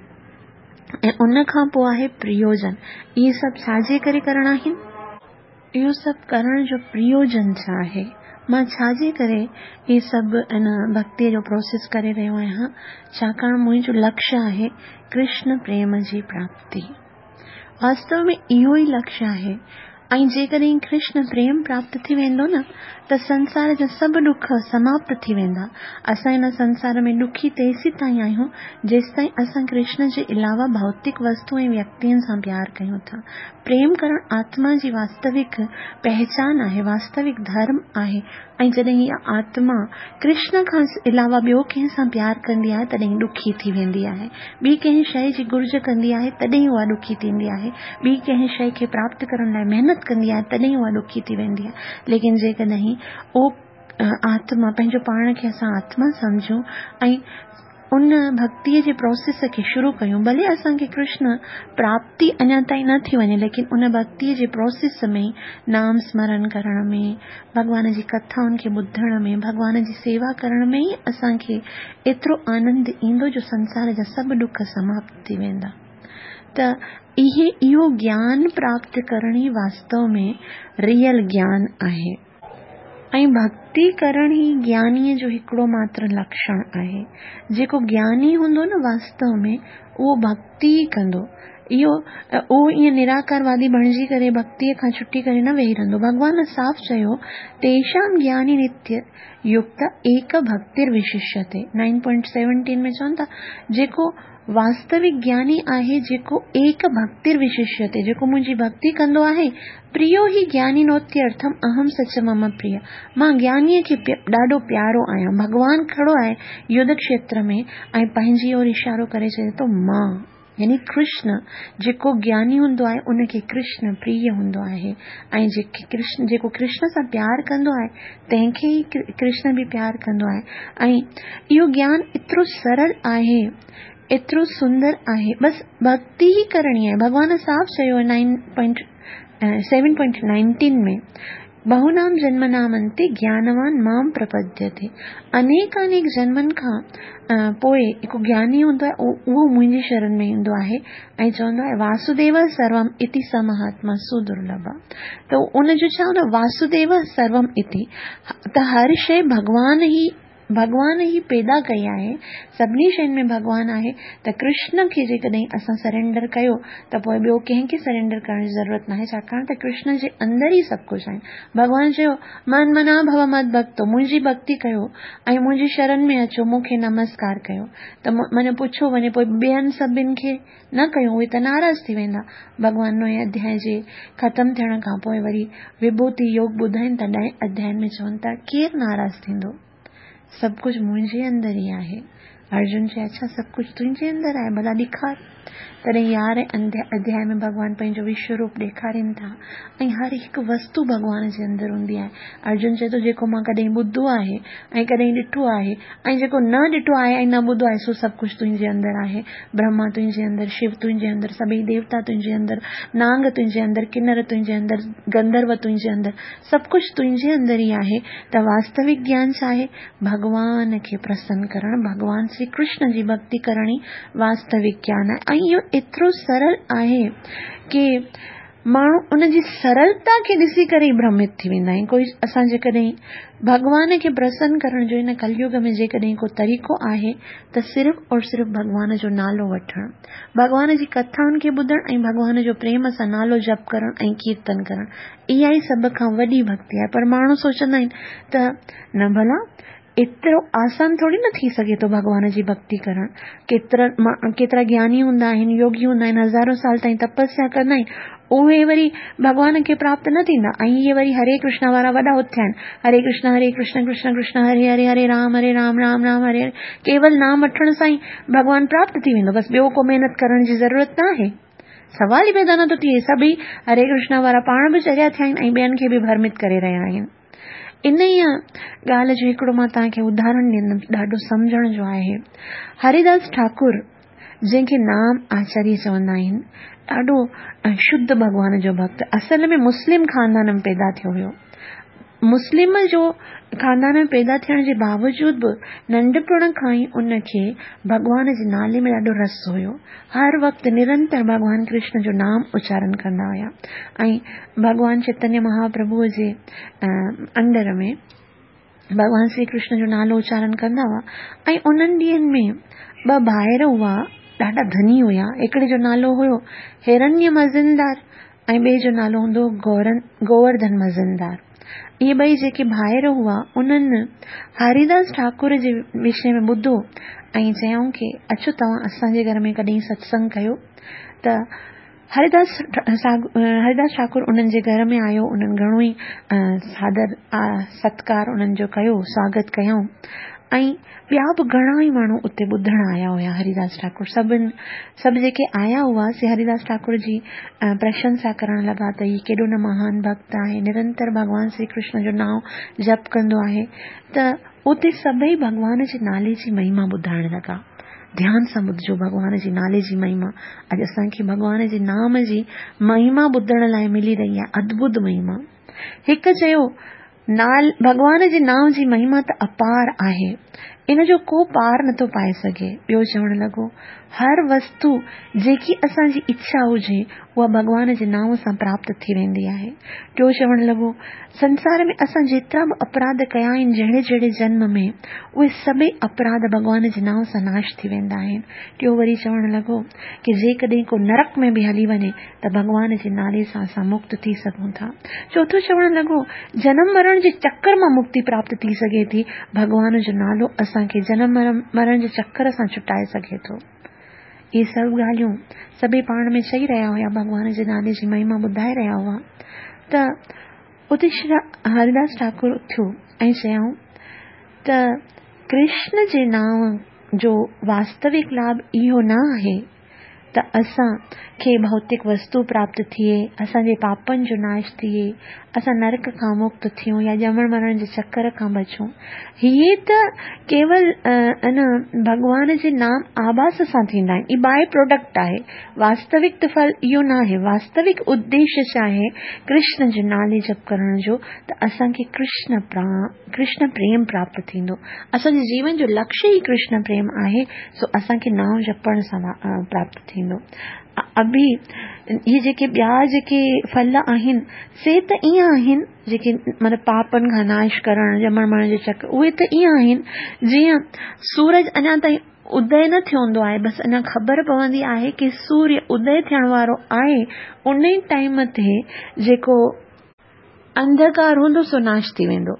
ऐं उन खां पोइ आहे प्रयोजन। इहे सभु छाजे करे करणा आहिनि? इहो सभु करण जो प्रयोजन छा आहे? मां छाजे करे इहे सभु इन भक्तीअ जो प्रोसेस करे रहियो आहियां? छाकाणि मुंहिंजो लक्ष्य आहे कृष्ण प्रेम जी प्राप्ति। वास्तव में इहो ई लक्ष्य आहे। ۽ جيڪڏهن ڪرشن پريم پراپت ٿي ويندو نه ته سنسار جا سڀ ڏک سماپت ٿي ويندا. اسان هن سنسار ۾ ڏکي تيسيتائين آهيون جيستائين اسان ڪرشن جي علاوه ڀوتڪ وستو ۽ ويڪتين سان پيار ڪيون ٿا. پريم ڪرڻ آتما جي واستوڪ پهچان آهي، واستوڪ ڌرم آهي ۽ جڏهن اها آتما ڪرشن کان علاوه ٻيو ڪنهن سان پيار ڪندي آهي تڏهن ڏکي ٿي ويندي آهي. ٻي ڪنهن شيء جي گهرج ڪندي آهي تڏهن اها ڏکي ٿيندي آهي. ٻي ڪنهن شيء کي پراپت ڪرڻ لاء محنت ڪندي آهي تڏهن اها ڏکي ٿي ويندي آهي. ليڪن جيڪڏهن اهو آتما پنهنجو پاڻ کي اسان آتما سمجهون ۽ ان ڀڳتيء جي پروسيس کي شروع ڪيون ڀلي اسان کي ڪرشن پراپتي اڃا تائين نه ٿي وڃي ليڪن ان ڀڳتيء جي پروسيس ۾ نام سمرن ڪرڻ ۾ ڀڳوان جي ڪٿائن کي ٻڌڻ ۾ ڀڳوان جي سيوا ڪرڻ ۾ ئي اسان کي ايترو آنند ايندو جو سنسار جا سڀ ڏک سماپت ٿي ويندا ته اهي اهو گيان پراپت ڪرڻ ئي واستو ۾ ريئل گيان آهي. ۽ ڀڳتي ڪرڻ ئي گيانيء جو هڪڙو ماتر لڪشڻ آهي. جيڪو گياني هوندو نه واستو ۾ اهو ڀڳتي ئي ڪندو. اهو اهو ائين نراڪاروادي بڻجي ڪري ڀڳتيء کان ڇٽي ڪري نه ويهي رهندو. ڀڳوان صاف چيو، تيشام گياني نتيه يڪت ايڪ ڀڳتير وششيتي. 9.17 ۾ چون ٿا، جيڪو واستوڪ گياني آهي جيڪو ايڪ ڀڳتير وششيتي، جيڪو منهنجي ڀڳتي ڪندو آهي، پريو هي گيانينوتيرٿم اهم سچ مم پريه، مان گيانيء کي ڏاڍو پيارو آهيان. ڀڳوان کڙو آهي يڌ کشيتر ۾ ۽ پنهنجي اور اشارو ڪري چئي ٿو مان يعني ڪرشن، جيڪو گياني هوندو آهي ان کي ڪرشن پريه هوندو آهي ۽ جيڪي ڪرشن جيڪو ڪرشن سان پيار ڪندو آهي تنهن کي ئي ڪرشن به پيار ڪندو آهي ۽ اهو گيان ايترو سرل آهي ايترو سندر آهي بس ڀڳتي ئي ڪرڻي آهي ڀڳوان صاف چيو آهي nine point seven point nineteen ۾ بهونام جنمنام انتي گيانوان مام پرپديتي انيڪانيڪ جنمن کان پوء هڪ گياني هوندو آهي اهو منهنجي شرن ۾ ايندو آهي ۽ چوندو آهي واسوديو سروم اتي س مهاتما سدرلڀ ته ان جو ڇا هوندو واسوديو سروم اتي ته هر شيء ڀڳوان ئي ڀڳوان ئي پيدا ڪئي آهي سڀني شين ۾ ڀڳوان آهي ته ڪرشن کي جيڪڏهن اسان سرينڊر ڪيو ته پوء ٻيو ڪنهن کي سرينڊر ڪرڻ جي ضرورت ناهي ڇاڪاڻ ته ڪرشن جي اندر ئي سڀ ڪجهه آهي ڀڳوان چيو من منا ڀو مد ڀڳتو منهنجي ڀڳتي ڪيو ۽ منهنجي شرن ۾ اچو مون کي نمسڪار ڪيو ته معنيٰ پڇيو وڃي پوء ٻين سڀن کي نه ڪيون اهي ته ناراض ٿي ويندا. ڀڳوان نوئين اڌيائي جي ختم ٿيڻ کان پوء وري وڀوتي يوگ ٻڌائين ٿا ڏهين اڌيائي ۾ چون ٿا ڪير ناراض ٿيندو؟ سڀ ڪجهه منهنجي اندر ئي آهي. ارجن چيو اڇا سڀ ڪجهه تنهنجي اندر آهي ڀلا ڏيکار. تڏهن يارهين اڌيائي ۾ ڀڳوان پنهنجو وشو روپ ڏيکارين ٿا ۽ هر هڪ وستو ڀڳوان جي اندر هوندي آهي. ارجن چئي ٿو جيڪو مان ڪڏهن ٻڌو آهي ۽ ڪڏهن ڏٺو آهي ۽ جيڪو نه ڏٺو آهي ۽ نه ٻڌو آهي سو سڀ ڪجهه تنهنجي اندر آهي. برهما تنهنجي اندر، شو تنهنجي اندر، سڀئي ديوتا تنهنجي اندر، نانگ تنهنجي اندر، ڪنر تنهنجي اندر، گنڌرو تنهنجي اندر، سڀ ڪجهه تنهنجي اندر ئي آهي ته واستوڪ گيان ڇا آهي؟ ڀڳوان کي پرسن ڪرڻ، ڀڳوان شري ڪرشن جي ڀڳتي ڪرڻ ئي واستوڪ گيان آهي ۽ اهو ايترو سرل آهي ڪي ماڻهو ان جي سرلتا کي ڏسي ڪري ئي ڀرمت ٿي ويندا آهن. ڪوئي اسان جيڪڏهن ڀڳوان کي پرسن ڪرڻ جو هن ڪليوگ ۾ جيڪڏهن ڪو طريقو آهي ته صرف اور صرف ڀڳوان جو نالو وٺڻ، ڀڳوان جي ڪٿائن کي ٻڌڻ ۽ ڀڳوان جو پريم سان نالو جپ ڪرڻ ۽ ڪيرتن ڪرڻ اها ئي سڀ کان وڏي ڀڳتي آهي پر ماڻهو سوچندا آهن ته نه ڀلا ايترو آسان ٿوري نه ٿي سگهي ٿو ڀڳوان جي ڀڳتي ڪرڻ. ڪيترا ڪيترا گياني هوندا آهن، يوگي هوندا آهن، هزارون سال تائين تپسيا ڪندا آهن، اهي وري ڀڳوان کي پراپت نه ٿيندا ۽ اهي وري هري ڪرشنا وارا وڏا اٿيا آهن، هري ڪرشنا هري ڪرشنا ڪرشنا ڪرشنا هري هري هري رام هري رام رام رام هري هري ڪيول نام وٺڻ سان ئي ڀڳوان پراپت ٿي ويندو بس ٻيو ڪو محنت ڪرڻ جي ضرورت نه آهي. سوال ئي پيدا نٿو ٿئي سڀئي هري ڪرشنا وارا پاڻ به چريا ٿيا آهن ۽ ٻين کي به ڀرمت ڪري رهيا آهن. انهيء ڳالهه جو هڪڙو مان توهان کي اداهرڻ ڏيندم ڏاڍو سمجهڻ جو آهي. هريداس ٺاڪر جنهن کي نام آچاريه چوندا آهن ڏاڍو شڌ ڀڳوان جو ڀڳت اصل ۾ مسلم خاندان ۾ پيدا ٿيو هيو. مسلم جو خاندان ۾ پيدا ٿيڻ جي باوجود به ننڍپڻ کان ئي ان کي ڀڳوان جي نالي ۾ ڏاڍو رس هيو. هر وقت نرنتر ڀڳوان ڪرشن جو نام اچارن ڪندا هيا ۽ ڀڳوان چيتنيه مهاپرڀوء جي انڊر ۾ ڀڳوان شري ڪرشن جو نالو اچارن ڪندا هئا ۽ انهن ڏينهن ۾ ٻه ڀائر هئا ڏاڍا ڌني هيا هڪڙي جو نالو هيو هرنيه مزندار ۽ ٻئي جو نالو هوندو هو گورن گوورڌن مزندار. اهي ٻئي جيڪي ڀائر هئا انهن هريداس ٺاڪر جي وشي ۾ ٻڌو ۽ چيائون ڪي اچو توهان اسان جي گهر ۾ ڪڏهن ستسنگ ڪيو ته هريداس هريداس ٺاڪر انهن جي گهر ۾ آيو انهن گهڻو ئي سادر ستڪار انهن جو ڪيو سواگت ڪيائون ۽ ٻيا به گهڻا ئي ماڻهو اتي ٻڌڻ آيا هيا هريداس ٺاڪر سڀن سڀ جيڪي آيا هئا سي هريداس ٺاڪر جي پرشنسا ڪرڻ لڳا ته هي ڪيڏو نه مهان ڀڳت آهي نرنتر ڀڳوان شري ڪرشن جو نانء جپ ڪندو آهي ته اتي سڀئي ڀڳوان جي نالي جي مهما ٻڌائڻ لڳا ڌيان سان ٻڌجو ڀڳوان جي نالي جي مهما اڄ اسان کي ڀڳوان جي نام جي مهما ٻڌڻ لاء ملي رهي آهي ادڀت مهما هڪ چيو نال، ڀڳوان جي نانء جي مهما ته اپار آهي، ان جو ڪو پار نٿو پائي سگهي. ٻيو چوڻ لڳو، هر وستو جيڪي اسان جي اڇا هجي، اها ڀڳوان جي نانء سان پراپت ٿي ويندي آهي. ٽيو چوڻ لڳو، سنسار ۾ اسان جيترا به اپراڌ ڪيا آهن جهڙي جهڙي جنم ۾، اهي سڀئي اپراڌ ڀڳوان جي نانء سان ناش ٿي ويندا آهن. ٽيو وري چوڻ لڳو ڪي جيڪڏهن ڪو نرڪ ۾ به هلي وڃي ته ڀڳوان جي نالي سان اسان مڪت ٿي سگهون ٿا. چوٿون چوڻ لڳو، جنم مرڻ جي چڪر مان مڪتي پراپت ٿي سگهي ٿي، ڀڳوان جو نالو اسان کي جنم مرڻ جي چڪر سان ڇٽائي سگهي ٿو. اهي سڀ ڳالهيون سڀئي پاڻ ۾ چئي رهيا هيا، ڀڳوان جي نالي جي مهما ٻڌائي رهيا هئا ته اتي شري هريداس ٺاڪر اٿيو ۽ چيائون ته ڪرشن جي نانء جو واستوڪ لاڀ اهو نه آهي ته اسان کي ڀوتڪ وستو پراپت ٿئي، اسان جي پاپن جو ناش ٿئي، اسان نرڪ کان مڪت ٿيون يا ڄمڻ مرڻ جي چڪر کان بچون. هي ته ڪيول ان ڀڳوان جي نام آڀاس سان ٿيندا آهن. هي باء پراڊڪٽ آهي. واستوڪ ته ڦل اهو ناهي. واستوڪ اديش ڇا آهي؟ ڪرشن جو نالي جپ ڪرڻ جو ته اسان کي ڪرشن ڪرشن پريم پراپت ٿيندو. اسان جي جيون جو لڪشيه ئي ڪرشن پريم آهي، سو اسان کي نانء جپڻ سان پراپت ٿيندو. اڀي اهي جيڪي ٻيا جيڪي ڦل آهن، سي ته ائين آهن، جيڪي مطلب پاپن کان ناش ڪرڻ، ڄمڻ مرڻ جي چڪر، اهي ته ائين آهن، جيئن سورج اڃا تائين ادي نه ٿيو هوندو آهي، بس اڃا خبر پوندي آهي ڪي سوريه ادي ٿيڻ وارو آهي، انهي ٽائيم تي جيڪو انڌڪار هوندو سو ناش ٿي ويندو.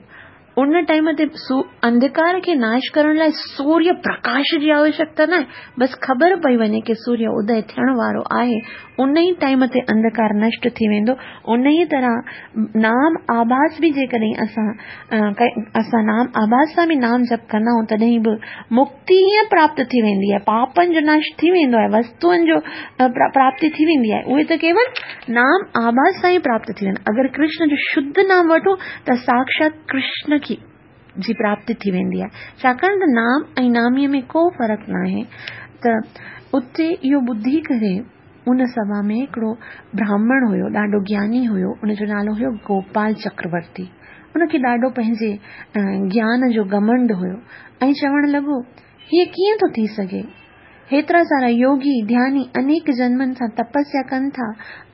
ان ٽائيم تي انڌڪار کي ناش ڪرڻ لاء سوريه پرڪاش جي آوشڪتا ناهي، بس خبر پئي وڃي ڪي سوريه ادي ٿيڻ وارو آهي، ان ئي ٽائيم تي انڌڪار نشٽ ٿي ويندو. انهيء طرح نام آڀاس به جيڪڏهن اسان اسان نام آڀاس سان به نام جپ ڪندا آهيون تڏهن به مڪتي هيئن پراپت ٿي ويندي آهي، پاپن جو ناش ٿي ويندو آهي، وستوئن جو پراپتي ٿي ويندي آهي، اهي ته ڪيول نام آڀاس سان ئي پراپت ٿي ويندا. اگر ڪرشن جو شڌ نام وٺون ته ساڪشات ڪرشن کي جي پراپتي ٿي ويندي آهي. ڇاڪاڻ ته نام ۽ ناميء ۾ ڪو فرق ناهي ته اتي اهو ٻڌي ڪري ان سڀا ۾ هڪڙو براهمڻ هيو ڏاڍو گياني هيو ان جو نالو هيو گوپال چڪرورتي. ان کي ڏاڍو پنهنجي گيان جو گهمنڊ هيو ۽ چوڻ لڳو هيء ڪيئن ٿو ٿي سگهي؟ هيترا سارا يوگي، ڌياني انيڪ جنمن سان تپسيا ڪن ٿا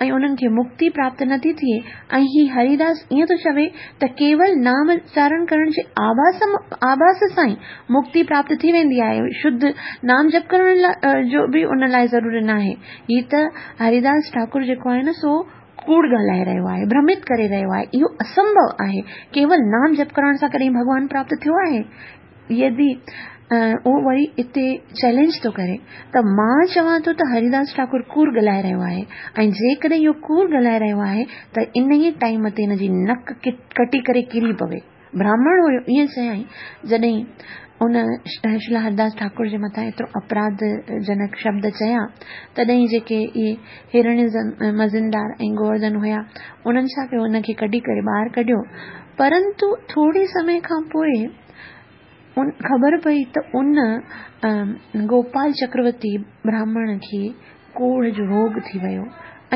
۽ انهن کي مڪتي پراپت نٿي ٿئي ۽ هي هريداس ائين ٿو چوي ته ڪيول نام اچارڻ ڪرڻ جي آڀاس آڀاس سان ئي مڪتي پراپت ٿي ويندي آهي، شڌ نام جپ ڪرڻ جو به ان لاء ضروري ناهي. هي ته هريداس ٺاڪر جيڪو آهي نه سو ڪوڙ ڳالهائي رهيو آهي، ڀرمت ڪري رهيو آهي، اهو اسنڀو آهي. ڪيول نام جپ ڪرڻ سان ڪڏهن ڀڳوان پراپت ٿيو آهي؟ يدي اهو وري اتي چئلينج ٿو ڪري ته مان چوان ٿو ته هريداس ٺاڪر ڪوڙ ڳالهائي رهيو آهي ۽ جيڪڏهن اهو ڪوڙ ڳالهائي رهيو آهي ته انهيء ٽائيم تي هن جي نڪ ڪٽي ڪري ڪري پوي. براهمڻ هيو ائين چيائين جڏهن ان شري هرداس ٺاڪر جي مٿان ايترو اپراڌ جنڪ شبد چيا تڏهن جيڪي اهي هرڻي مزندار ۽ گوورڌن هيا انهن ڇا ڪيو ان کي ڪڍي ڪري ٻاهر ڪڍيو پرنتو ٿوري سمي کان پوء ان خبر پئي ته ان گوپال چڪرورتي براهمڻ کي ڪوڙهه جو روڳ ٿي ويو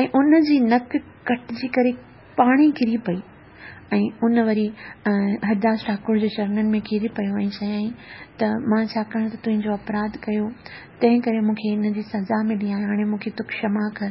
۽ ان جي نڪ ڪٽجي ڪري پاڻي ڪري پئي ۽ ان وري هرداس ٺاڪر جي چرنن ۾ ڪري پيو ۽ چيائين ته مان ڇاڪاڻ ته تنهنجو اپراڌ ڪيو تنهن ڪري مون کي ان جي سزا ملي آهي هاڻي مون کي تون ڪشما ڪر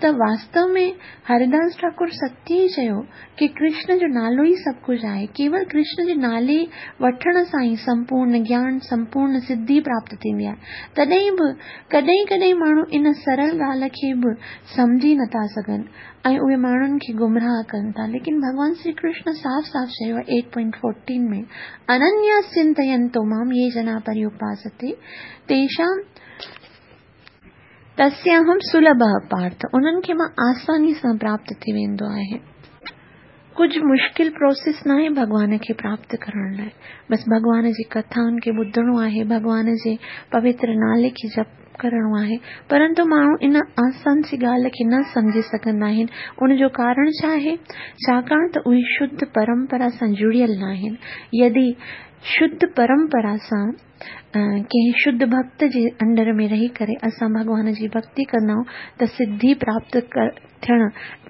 ته واستو ۾ هرداس ٺاڪر ستيه ئي چيو ڪي ڪرشن جو نالو ئي سڀ ڪجهه آهي. ڪيول ڪرشن جي نالي وٺڻ سان ئي سمپورن گيان، سمپورن سڌي پراپت ٿيندي آهي. تڏهن به ڪڏهن ڪڏهن ماڻهو ان سرل ڳالهه کي به سمجهي نٿا سگهن. ۽ اهي ماڻهن کي گمراهه ڪن ٿا. ليڪن ڀڳوان شري ڪرشن صاف صاف چيو آهي ايٽ پوائنٽ فورٽين ۾ اننيا چنتينتو مام يي جنا پريوپاستي تيشام تسياهم سلڀ پارٿ انهن کي مان آساني سان پراپت ٿي ويندو آهي. ڪجهه مشڪل پروسيس ناهي ڀڳوان کي پراپت ڪرڻ لاء بس ڀڳوان جي ڪٿائن کي ٻڌڻو آهي ڀڳوان جي پوتر نالي کي جپ ڪرڻو آهي پرنتو ماڻهو ان آسان سي ڳالهه کي نه سمجهي سگهندا آهن ان جو ڪارڻ ڇا آهي ڇاڪاڻ ته اهي شڌ پرمپرا سان جڙيل ناهن يدي شڌ پرمپرا سان ڪنهن شڌ ڀڳت جي انڊر ۾ رهي ڪري اسان ڀڳوان جي ڀڳتي ڪندا آهيون ته سڌي پراپت ٿيڻ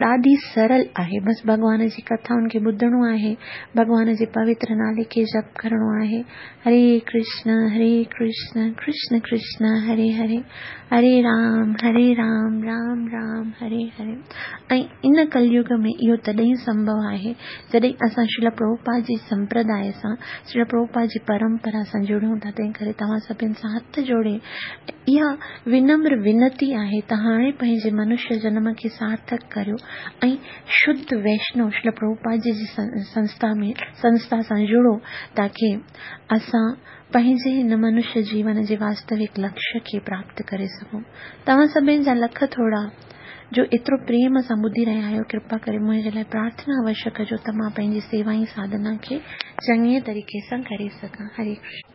ڏاڍي سرل آهي. بس ڀڳوان جي ڪٿائن کي ٻڌڻو آهي، ڀڳوان جي پوتر نالي کي جپ ڪرڻو آهي. هري ڪرشن هري ڪرشن ڪرشن ڪرشن هري هري هري رام هري رام رام رام هري هري ۽ ان ڪليگ ۾ اهو تڏهن سنڀو آهي جڏهن اسان شريل پرڀوپاد جي سمپرداء سان، شريل پرڀوپاد جي پرمپرا سان جڙيون ٿا، تنهن ڪري توهان سڀن سان هٿ جوڙي اها ونمر ونتي آهي ته هاڻي پنهنجي منشيه جنم کي سارٿڪ ڪريو ۽ شڌ ويشنو شريل پرڀوپاد جي سنسٿا ۾ سنسٿا سان جڙو تاڪه اسان پنهنجي هن منشيه جيون جي واستوڪ لڪشيه کي پراپت ڪري سگهون. توهان سڀن جا لک ٿورا. جو ايترو پريم سان ٻڌي رهيا آهيو ڪرپا ڪري منهنجي لاء پرارٿنا اوشيه ڪجو ته مان پنهنجي سيوا ۽ ساڌنا کي چڱي طريقي سان ڪري سگهان. هري ڪرشن.